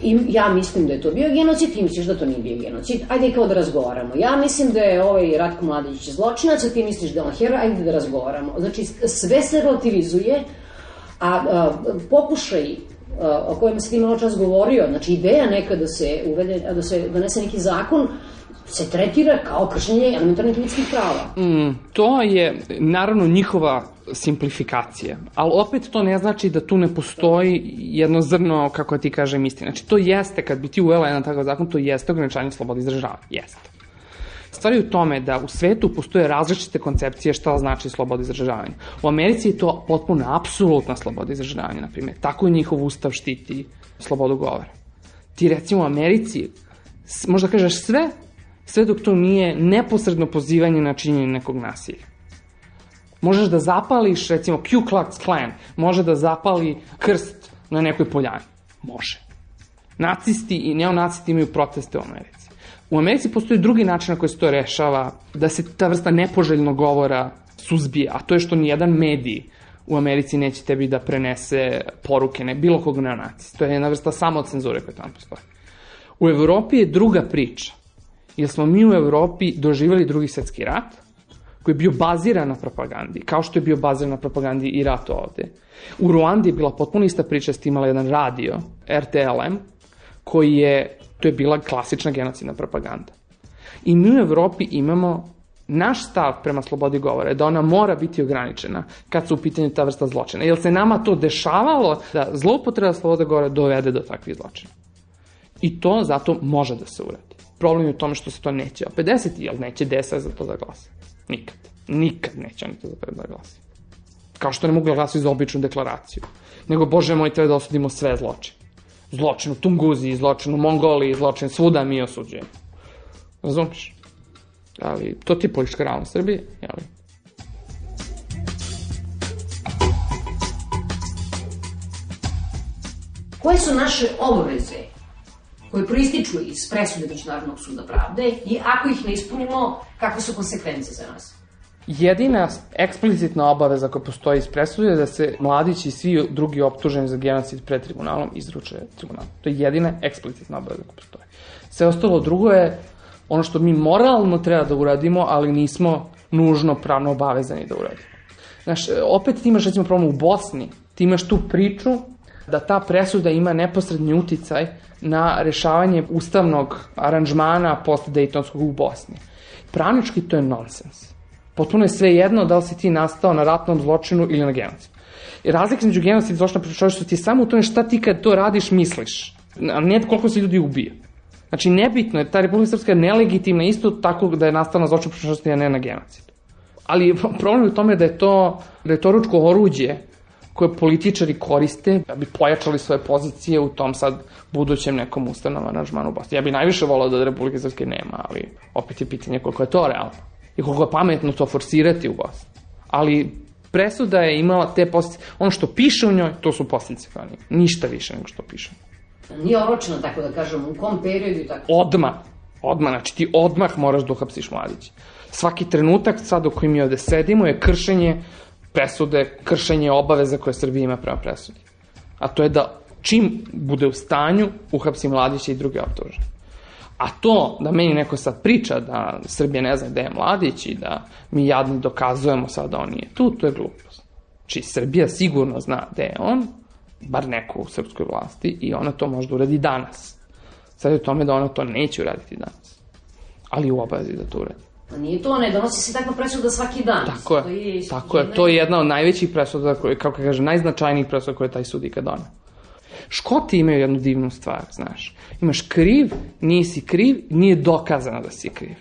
Speaker 8: i ja mislim da je to bio genocid, ti misliš da to nije bio genocid, ajde kao da razgovaramo. Ja mislim da je ovaj Ratko Mladić zločinac, a ti misliš da je on heroj, ajde da razgovaramo. Znači sve se relativizuje, a pokušaj o kojima se ti malo čas govorio, znači ideja neka da se uvede, da se donese neki zakon, se tretira kao kršenje elementarnih ljudskih prava.
Speaker 13: To je, naravno, njihova simplifikacija, ali opet to ne znači da tu ne postoji jedno zrno, kako ti kažem, istine. Znači, to jeste, kad bi ti uvela jedan takav zakon, to jeste ograničanje slobode izražavanja. Jeste. Stvar je u tome da u svetu postoje različite koncepcije šta znači sloboda izražavanja. U Americi je to potpuno apsolutna sloboda izražavanja, na primjer. Tako njihov ustav štiti slobodu govora. Ti, recimo, u Americi, možda kažeš sve dok to nije neposredno pozivanje na činjenje nekog nasilja. Možeš da zapališ, recimo, Ku Klux Klan, može da zapali krst na nekoj poljani. Može. Nacisti i neonacisti imaju proteste u Americi. U Americi postoji drugi način na koji se to rešava, da se ta vrsta nepoželjnog govora suzbije, a to je što nijedan medij u Americi neće tebi da prenese poruke, bilo kog neonacista. To je jedna vrsta samocenzure koja tamo postoji. U Evropi je druga priča, jer smo mi u Evropi doživjeli Drugi svetski rat, koji je bio baziran na propagandi, kao što je bio baziran na propagandi i rat ovde. U Ruandi je bila potpuno ista priča, ste imala jedan radio, RTLM, to je bila klasična genocidna propaganda. I mi u Evropi imamo, naš stav prema slobodi govora je da ona mora biti ograničena kad su u pitanju ta vrsta zločina. Jer se nama to dešavalo da zloupotreba slobode govora dovede do takvih zločina. I to zato može da se uradi. Problem je u tome što se to neće opet desiti, jer neće DSS za to da glasa. Nikad. Nikad neće oni to da glasa. Kao što ne mogu da glasati za običnu deklaraciju. Nego, Bože moj, treba da osudimo sve zločine. Zločin u Tunguziji, zločin u Mongoliji, zločin svuda mi osuđujemo. Razumiješ? Ali to ti je politička realnost Srbije, jel?
Speaker 8: Koje su naše obaveze koje proističu iz presude Međunarodnog suda pravde i ako ih ne ispunimo, kakve su konsekvence za nas?
Speaker 13: Jedina eksplicitna obaveza koja postoji iz presude je da se Mladić i svi drugi optuženi za genocid pred tribunalom izruče tribunalu. To je jedina eksplicitna obaveza koja postoji. Sve ostalo drugo je ono što mi moralno treba da uradimo, ali nismo nužno pravno obavezani da uradimo. Znaš, opet ti imaš, recimo, problem u Bosni, ti imaš tu priču da ta presuda ima neposredni uticaj na rešavanje ustavnog aranžmana post-Dejtonskog u Bosni. Pravnički to je nonsens. Potpuno je sve jedno da li si ti nastao na ratnom zločinu ili na genocidu. Razlika između genocida i zločina protiv čovečanstva ti je samo u tome šta ti kad to radiš misliš, a ne koliko se ljudi ubije. Znači, nebitno je, ta Republika Srpska je nelegitimna isto tako da je nastala na zločinu protiv čovečanstva, a ne na genocidu. Ali problem je u tome da je to ručko oruđe koje političari koriste da bi pojačali svoje pozicije u tom sad budućem nekom ustavnom aranžmanu u Bosni. Ja bi najviše volao da Republike Srpske nema, ali opet je pitanje koliko je to realno i koliko je pametno to forsirati u Bosni. Ali presuda je imala te posljedice. Ono što piše u njoj, to su posljedice kao nije. Ništa više nego što piše.
Speaker 8: Nije oročeno, tako da kažem, u kom periodu i tako?
Speaker 13: Odmah, znači ti odmah moraš da uhapsiš Mladića. Svaki trenutak sad u kojim mi ovde sedimo je kršenje presude, kršenje obaveza koje Srbija ima prema presudi. A to je da čim bude u stanju uhapsi Mladića i druge optužene. A to da meni neko sad priča da Srbija ne zna gde je Mladić i da mi jadni dokazujemo sad da on nije tu, to je glupost. Znači Srbija sigurno zna gde je on, bar neko u srpskoj vlasti, i ona to može da uradi danas. Sad je u tome da ona to neće uraditi danas. Ali u obavezi da to uradi.
Speaker 8: A nije to, ne donosi se takva presuda svaki dan.
Speaker 13: Tako je, to je jedna od najvećih presuda, kako kaže, najznačajnijih presuda koje taj sud ikad doneo. Škoti imaju jednu divnu stvar, znaš. Imaš kriv, nisi kriv, nije dokazano da si kriv.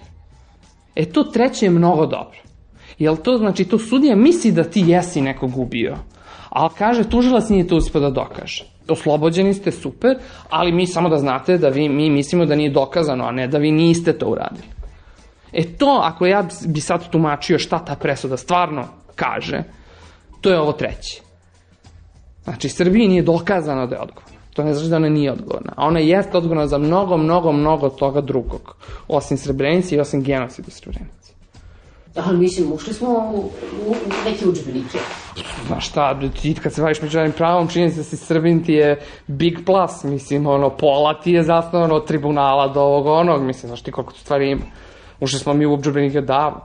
Speaker 13: To treće je mnogo dobro. Jel to sudija misli da ti jesi nekog ubio, ali kaže, tužilac nije to uspio da dokaže. oslobođeni ste, super, ali mi samo da znate da mi mislimo da nije dokazano, a ne da vi niste to uradili. To, ako ja bi sad tumačio šta ta presuda stvarno kaže, to je ovo treći. Znači, Srbiji nije dokazano da je odgovorna. To ne znači da ona nije odgovorna. A ona jeste odgovorna za mnogo toga drugog. Osim Srebrenice i osim genocida Srebrenice.
Speaker 8: Ali mislim, ušli smo u neke udžbenike.
Speaker 13: Znaš šta, ti kad se baviš međunarodnim pravom, čini se da si Srbin ti je big plus. Mislim, pola ti je zasnovano od tribunala do ovog onog. Mislim, znaš ti koliko tu stvari ima. Ušli smo mi u udžbenike davno.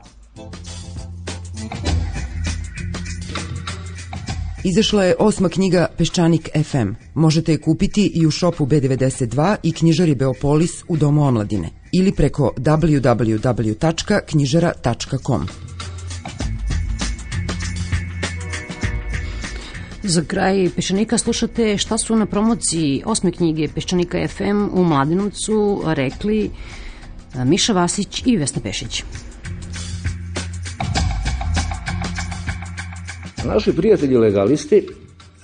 Speaker 11: Izašla je 8. knjiga Peščanik FM. Možete je kupiti i u šopu B92 i knjižari Beopolis u Domu omladine ili preko www.knjižara.com.
Speaker 8: Za kraj Peščanika slušate šta su na promociji 8. knjige Peščanika FM u Mladenovcu rekli Miša Vasić i Vesna Pešić.
Speaker 14: Naši prijatelji legalisti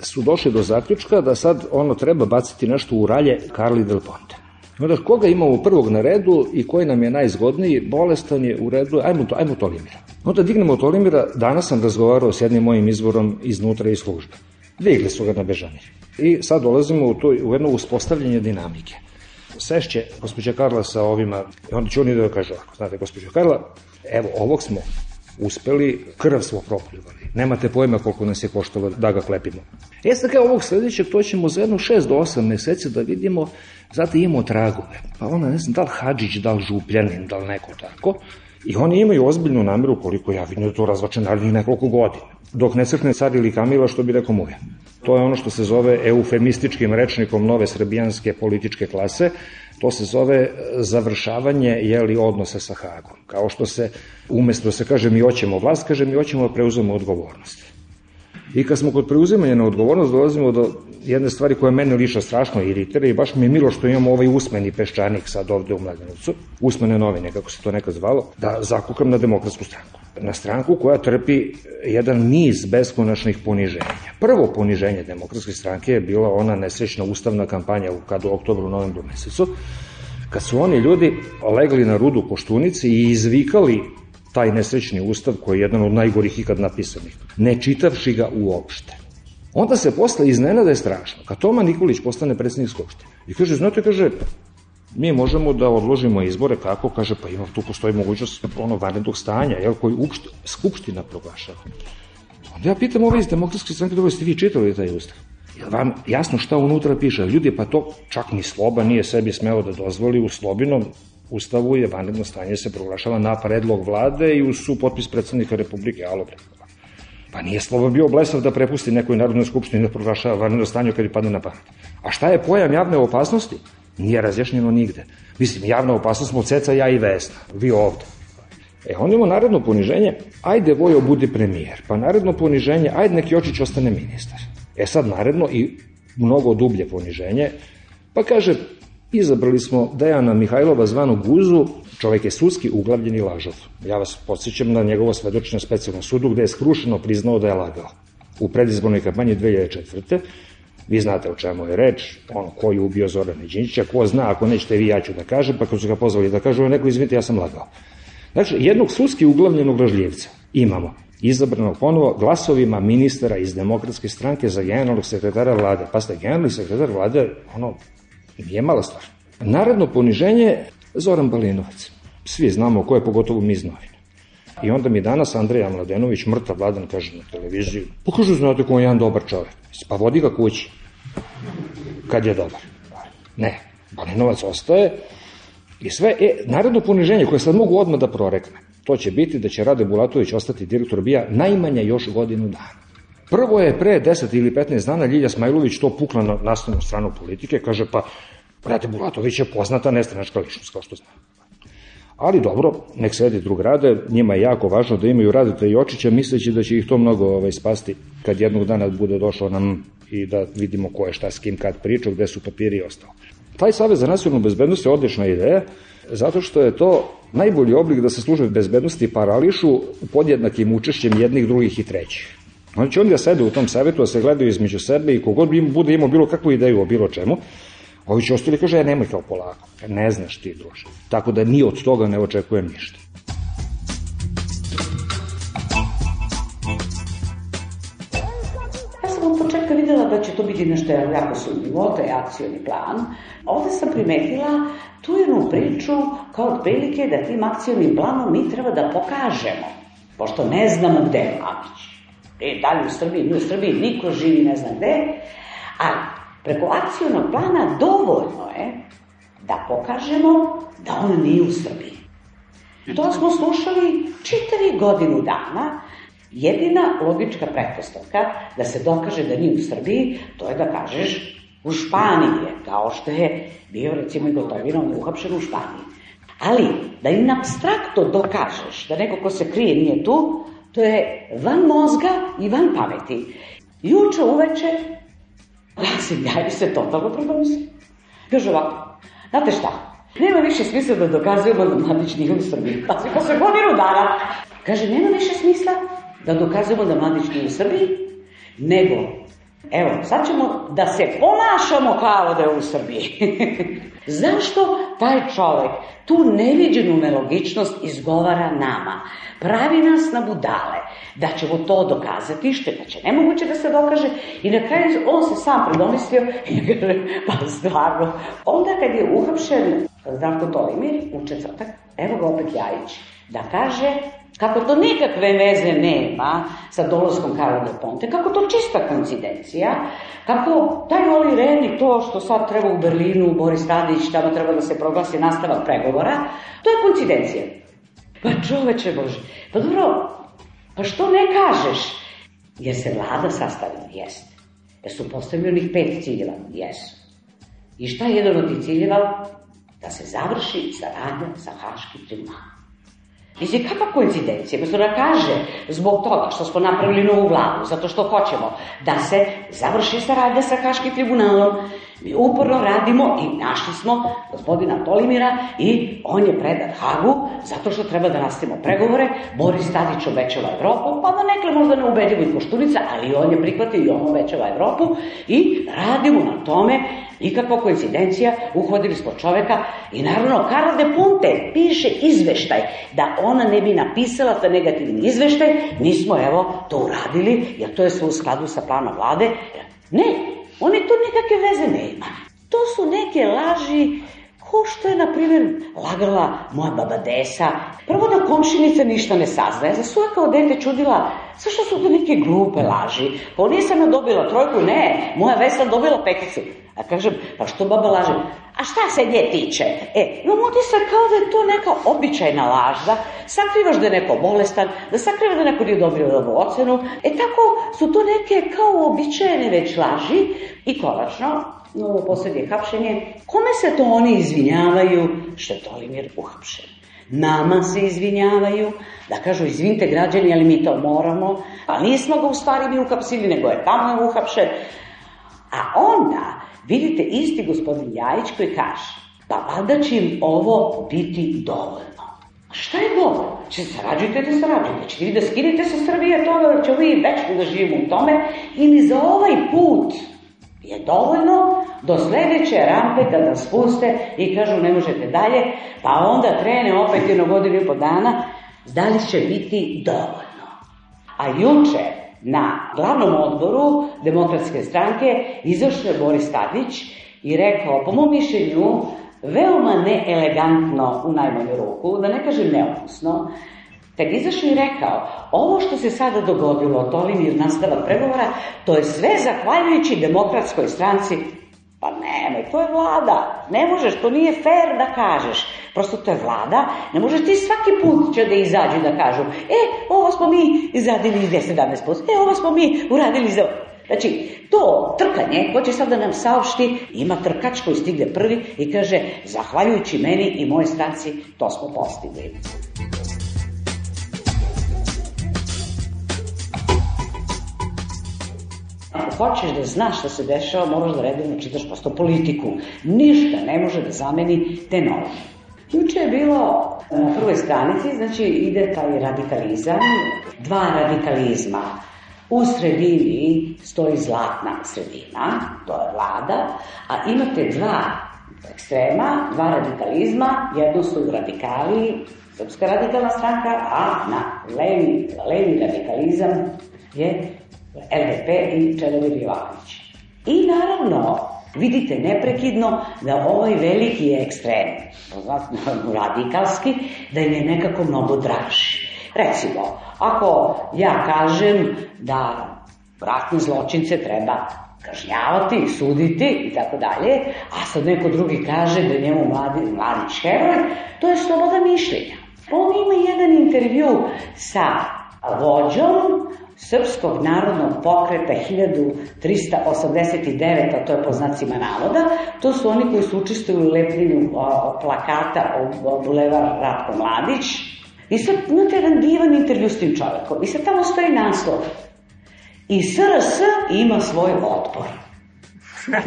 Speaker 14: su došli do zaključka da sad treba baciti nešto u ralje Carli Del Ponte. Onda koga imamo prvog na redu i koji nam je najzgodniji, bolestan je u redu, ajmo Tolimira. Onda dignemo Tolimira, danas sam razgovarao s jednim mojim izvorom iznutra iz službe. Digli su ga na Bežanir. I sad dolazimo u jedno uspostavljanje dinamike. Sešće gospođa Karla sa ovima, i onda će oni da kažu ovako, znate, gospođa Karla, evo, ovog smo uspeli, krv smo propljuvali. Nemate pojma koliko nas je koštalo da ga klepimo. Sad kao ovog sledećeg, to ćemo za jedno 6 do 8 meseci da vidimo, zato imamo tragove. Pa ona, ne znam, da li Hadžić, da li Župljanin, da li neko tako. I oni imaju ozbiljnu nameru, koliko ja vidim da to razvače narednih nekoliko godina. Dok ne crkne car ili Kamila, što bi rekao Muja. To je ono što se zove eufemističkim rečnikom nove srbijanske političke klase. To se zove završavanje odnosa sa Hagom. Kao što se, umesto da se kaže mi hoćemo vlast, kaže mi hoćemo da preuzemo odgovornost. I kad smo kod preuzimanja na odgovornost, dolazimo do jedne stvari koja mene liša strašno iritira i baš mi je milo što imamo ovaj usmeni Peščanik sad ovde u Mladenovcu, usmene novine, kako se to nekad zvalo, da zakukam na Demokratsku stranku. Na stranku koja trpi jedan niz beskonačnih poniženja. Prvo poniženje Demokratske stranke je bila ona nesrećna ustavna kampanja u oktobru, novembru mesecu, kad su oni ljudi legli na rudu Koštunici i izvikali taj nesrećni ustav koji je jedan od najgorih ikad napisanih, ne čitavši ga uopšte. Onda se posle iznenada je strašno. Kad Toma Nikolić postane predsjednik Skupštine i kaže, znate, kaže, mi možemo da odložimo izbore, kako? Kaže, pa ima, tu postoji mogućnost vanrednog stanja, koji Skupština proglašava. Onda ja pitam ove iz Demokratske stranke, dobro, ste vi čitali taj ustav? Je vam jasno šta unutra piše? Ljudi, pa to čak ni Sloba nije sebi smeo da dozvoli. U Slobinom ustavu je vanredno stanje se proglašava na predlog vlade i uz supotpis predsednika Republike. Pa nije Sloba bio blesav da prepusti nekoj Narodnoj skupštini da proglašava vanredno stanje kad je padne na pamet. A šta je pojam javne opasnosti? Nije razjašnjeno nigde. Mislim, javna opasnost smo Ceca, ja i Vesna, vi ovde. Onda imamo naredno poniženje, ajde Vojo budi premijer, pa naredno poniženje, ajde neki Jočić ostane ministar. Sad naredno i mnogo dublje poniženje, pa kaže, izabrali smo Dejana Mihajlova zvanu Guzu, čovek je sudski uglavljeni lažov. Ja vas podsjećam na njegovo svedočenje na specijalnom sudu gde je skrušeno priznao da je lagao. U predizbornoj kampanji 2004. Vi znate o čemu je reč, ko je ubio Zorana Đinđića, ko zna, ako nećete vi, ja ću da kažem, pa kad su ga pozvali da kažu, neko izvinite, ja sam lagao. Znači, jednog sudski uglavljenog lažljivca imamo, izabranog ponovo glasovima ministara iz Demokratske stranke za generalnog sekretara vlade. Pa ste, generalni sekretar vlade, nije mala stvar. Naredno poniženje, Zoran Balinovac. Svi znamo ko je, pogotovo mi iz novina. I onda mi danas Andreja Mladenović, mrtav vladan, kaže na televiziji, pokažu, znate ko je jedan dobar čovek. Pa vodi ga kući. Kad je dobar. Ne, Balinovac ostaje i sve. Naredno poniženje koje sad mogu odmah da prorekne, to će biti da će Rade Bulatović ostati direktor BIA najmanje još godinu dana. Prvo je pre 10 ili 15 dana Ljilja Smajlović to pukla na naslovnu stranu Politike, kaže pa Rade Bulatović je poznata nestranačka ličnost, kao što znam. Ali dobro, nek sedi drug Rade, njima je jako važno da imaju Radeta i Jočića, misleći da će ih to mnogo spasti kad jednog dana bude došao nam i da vidimo ko je šta s kim kad pričao, gde su papiri i ostalo. Taj Savez za nacionalnu bezbednost je odlična ideja, zato što je to najbolji oblik da se službe bezbednosti parališu podjednakim učešćem jednih, drugih i trećih. Onda će onda sede u tom savetu, da se gledaju između sebe i kogod bude imao bilo kakvu ideju o bilo čemu, ovi će ostali kaže, nemoj kao polako, ne znaš ti, druže. Tako da ni od toga ne očekujem ništa.
Speaker 15: Ja sam od početka videla da će to biti nešto jako sumnjivo, to je akcioni plan. Ovde sam primetila tu jednu priču kao otprilike da tim akcionim planom mi treba da pokažemo, pošto ne znamo gde je Mladić. Dalje u Srbiji, mi u Srbiji, niko živi ne zna gde, ali preko akcionog plana dovoljno je da pokažemo da on nije u Srbiji. To smo slušali čitavi godinu dana. Jedina logička pretpostavka da se dokaže da nije u Srbiji, to je da kažeš u Španiji je, kao što je bio recimo i Gotovina, on je uhapšen u Španiji. Ali da im apstraktno dokažeš da neko ko se krije nije tu, to je van mozga i van pameti. Juče uveče Rasim Ljajić se totalno predomislio. Kaže ovako, znate šta, nema više smisla da dokazujemo da Mladić nije u Srbiji. Pazi, posle godinu dana. Kaže, nema više smisla da dokazujemo da Mladić nije u Srbiji, nego, evo, sad ćemo da se ponašamo kao da je u Srbiji. Zašto taj čovek tu neviđenu nelogičnost izgovara nama? Pravi nas na budale, da ćemo to dokazati, što je znači nemoguće da se dokaže, i na kraju on se sam predomislio i kaže, pa stvarno. Onda kad je uhapšen Zdravko Tolimir u četvrtak, evo ga opet Ljajić, da kaže kako to nikakve veze nema sa dolaskom Carla Del Ponte, kako to čista koincidencija, kako taj Oli Rehn i to što sad treba u Berlinu, Boris Tadić, tamo treba da se proglasi nastavak pregovora, to je koincidencija. Pa čoveče Bože, pa dobro, pa što ne kažeš? Jer se vlada sastavila, jeste. Jer su postavili onih 5 ciljeva, jesu. I šta je jedan od tih ciljeva? Da se završi saradnja sa Haškim tribunalom. Mislim, kakva koincidencija? Mislim da kaže, zbog toga što smo napravili novu vladu, zato što hoćemo da se završi saradnja sa Haškim tribunalom, mi uporno radimo i našli smo gospodina Tolimira i on je predat Hagu zato što treba da nastavimo pregovore. Boris Tadić obećava Evropu, pa da nekle možda ne ubedljivo i Koštunica, ali on je prihvatio i on obećava Evropu i radimo na tome. Nikakva koincidencija, uhvatili smo čoveka i naravno Carla Del Ponte piše izveštaj da ona ne bi napisala taj negativni izveštaj, mi smo evo to uradili, jer to je sve u skladu sa planom vlade. Ne, oni tu nikakve veze nema. To su neke laži, ko što je, na primjer, lagala moja baba Desa. Prvo da komšinica ništa ne saznaje. Za svoje kao dete čudila, zašto su to neke glupe laži? Pa nisam ja dobila 3, ne, moja Vesna dobila 5. A kažem, pa što baba laže? A šta se nje tiče? Imam utisak kao da je to neka običajna laž, da sakrivaš da je neko bolestan, da sakrivaš da neko nije dobio dobru ocenu. Tako su to neke kao običajne već laži. I konačno, novo posljednje hapšenje, kome se to oni izvinjavaju što je Tolimir uhapšen? Nama se izvinjavaju, da kažu izvinite građani, ali mi to moramo, a nismo ga u stvari mi uhapsili, nego je tamo uhapšen. A onda vidite isti gospodin Ljajić koji kaže, pa valjda će im ovo biti dovoljno. Šta je dovoljno? Sarađujte da sarađujte. Ćete vi da skinite sa Srbije toga, da ćemo vi večno da živimo u tome, ili za ovaj put je dovoljno do sledeće rampe kada nas spuste i kažu ne možete dalje, pa onda krene opet 1 godinu i po dana, da li će biti dovoljno. A juče na glavnom odboru Demokratske stranke izašao je Boris Tadić i rekao, po mom mišljenju, veoma neelegantno u najmanju ruku, da ne kažem neukusno, kad izašao i rekao, ovo što se sada dogodilo, Tolimir nastavak pregovora, to je sve zahvaljujući Demokratskoj stranci. Pa nemoj, to je vlada, ne možeš, to nije fair da kažeš, prosto to je vlada, ne možeš ti svaki put će da izađu da kažu, ovo smo mi izradili 217%, ovo smo mi uradili za... Znači, to trkanje, ko će sad da nam saopšti, ima trkač koji stigne prvi i kaže, zahvaljujući meni i moje stranci, to smo postigli. Ako hoćeš da znaš šta se dešava, moraš da redovno čitaš prosto politiku. Ništa ne može da zameni te novine. Juče je bilo na prvoj stranici, znači ide taj radikalizam, 2 radikalizma. U sredini stoji zlatna sredina, to je vlada, a imate dva ekstrema, dva radikalizma, jedno su radikali, Srpska radikalna stranka, a na levi radikalizam je LDP i Čedomir Jovanović. I naravno, vidite neprekidno da ovaj veliki ekstrem, radikalski, da im je nekako mnogo draži. Recimo, ako ja kažem da ratne zločince treba kažnjavati, suditi i tako dalje, a sad neko drugi kaže da je njemu Mladić heroj, to je sloboda mišljenja. On ima jedan intervju sa vođom Srpskog narodnog pokreta 1389, a to je po znacima navoda, to su oni koji su učestvuju u lepljenju plakata o Bulevar Ratko Mladić. I sad imate jedan divan intervju s tim čovekom. I sad tamo stoji naslov. I SRS ima svoj otpor.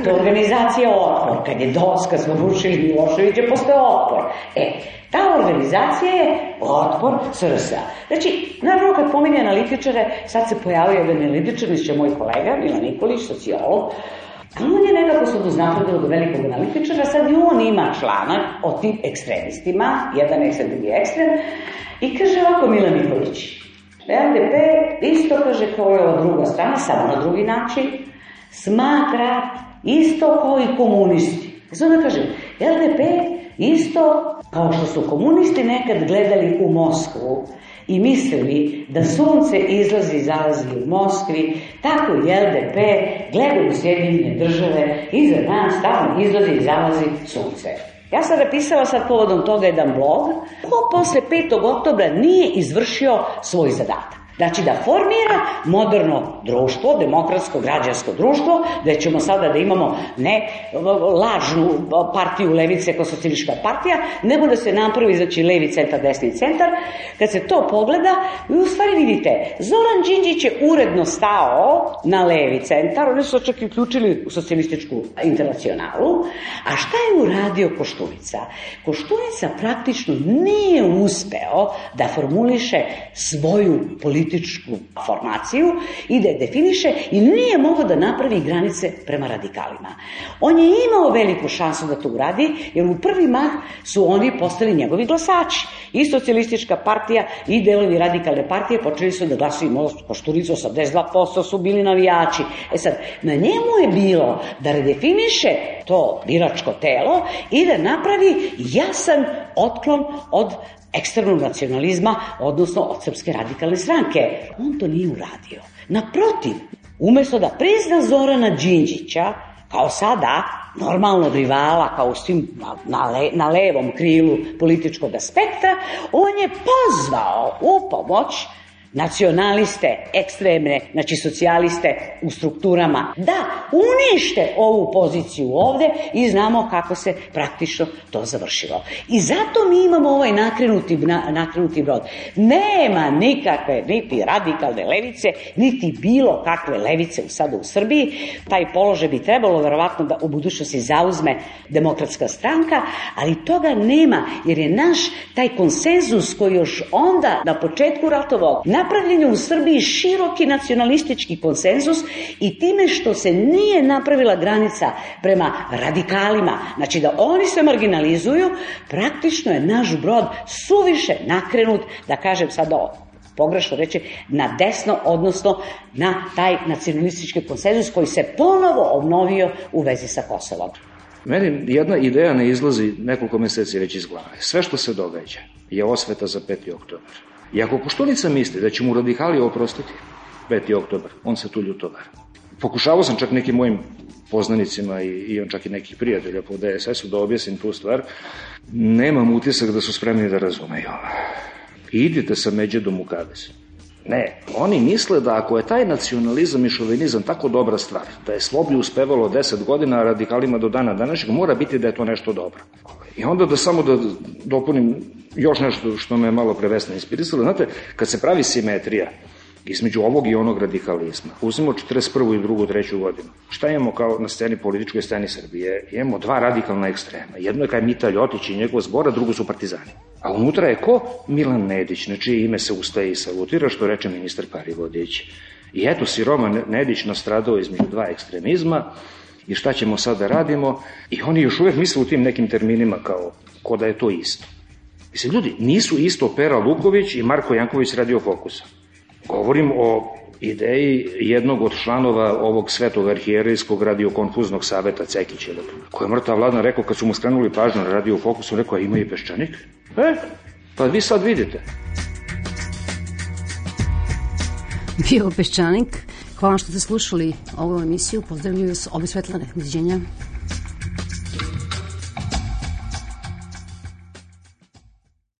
Speaker 15: To je organizacija Otpor. Kad je DOS, kad smo rušili Miloševića, postoje Otpor. Ta organizacija je Otpor SRS-a. Znači, naravno kad pominje analitičare, sad se pojavio jedan analitičar, misliće moj kolega, Milan Nikolić, sociolog, a on je nekako se doznačio do velikog analitičara, sad i on ima članak o tim ekstremistima, jedan ekstrem, drugi ekstrem, i kaže ovako Milan Nikolić, LDP isto kaže kao je ova druga strana, samo na drugi način, smatra isto kao i komunisti. Zato da kažem, LDP isto kao što su komunisti nekad gledali u Moskvu i mislili da sunce izlazi i zalazi u Moskvi, tako i LDP gleda u Sjedinjene države i za nas tamo izlazi i zalazi sunce. Ja sam napisala sad povodom toga jedan blog, ko posle 5. oktobra nije izvršio svoj zadatak. Znači da formira moderno društvo, demokratsko građansko društvo, gde ćemo sada da imamo ne lažnu partiju levice kao socijalistička partija, nego da se napravi, znači levi centar, desni centar. Kad se to pogleda, vi u stvari vidite, Zoran Đinđić je uredno stao na levi centar, oni su čak i uključili u socijalističku internacionalu, a šta je uradio Koštunica? Koštunica praktično nije uspeo da formuliše svoju političku formaciju i da je definiše i nije mogao da napravi granice prema radikalima. On je imao veliku šansu da to uradi, jer u prvi mah su oni postali njegovi glasači. I socijalistička partija i delovi radikalne partije počeli su da glasuju Koštunicu, 82% su bili navijači. Sad, na njemu je bilo da redefiniše to biračko telo i da napravi jasan otklon od ekstremnog nacionalizma, odnosno od Srpske radikalne stranke. On to nije uradio. Naprotiv, umesto da prizna Zorana Đinđića, kao sada normalnog rivala, kao svim na levom krilu političkog spektra, on je pozvao u pomoć nacionaliste, ekstremne, znači socijaliste u strukturama, da unište ovu poziciju ovde i znamo kako se praktično to završilo. I zato mi imamo ovaj nakrenuti brod. Nema nikakve niti radikalne levice, niti bilo kakve levice sada u Srbiji. Taj položaj bi trebalo verovatno da u budućnosti zauzme Demokratska stranka, ali toga nema, jer je naš taj konsenzus koji još onda na početku ratovog napravljen je u Srbiji široki nacionalistički konsenzus i time što se nije napravila granica prema radikalima, znači da oni se marginalizuju, praktično je naš brod suviše nakrenut, da kažem sada pogrešno reći, na desno, odnosno na taj nacionalistički konsenzus koji se ponovo obnovio u vezi sa Kosovom.
Speaker 14: Meni jedna ideja ne izlazi nekoliko meseci već iz glave. Sve što se događa je osveta za 5. oktobar. I ako Koštunica misli da će mu radikali oprostiti 5. oktobar, on se tu ljutovar. Pokušavao sam čak nekim mojim poznanicima i on čak i nekih prijatelja po DSS-u da objasnim tu stvar. Nemam utisak da su spremni da razumeju. Idite sa Međedom u kavez. Ne, oni misle da ako je taj nacionalizam i šovinizam tako dobra stvar, da je Sloblju uspevalo 10 godina, a radikalima do dana današnjeg, mora biti da je to nešto dobro. I onda da samo da dopunim još nešto što me malo prevesno inspirisalo. Znate, kad se pravi simetrija između ovog i onog radikalizma, uzmemo 41. i 2. 3. godinu, šta imamo kao na sceni, političkoj sceni Srbije? Imamo dva radikalna ekstrema. Jedno je kaj Mita Ljotić i njegov zbora, drugo su partizani. A unutra je ko? Milan Nedić, na čije ime se ustaje i salutira, što reče ministar Parivodić. I eto, Siroman Nedić nastradao između dva ekstremizma i šta ćemo sad da radimo? I oni još uvek misle u tim nekim terminima kao da je to isto. Mislim, ljudi, nisu isto Pera Luković i Marko Janković Radio Fokusa. Govorim o ideji jednog od članova ovog svetog arhijerejskog radiokonfuznog saveta Cekića, koji je mrtav Vladan rekao kad su mu skrenuli pažnju na Radio Fokusu, rekao, a ima i Peščanik? Pa vi sad vidite.
Speaker 8: Bio Peščanik. Hvala što ste slušali ovu emisiju. Pozdravljaju vas obe Svetlane. Doviđenja.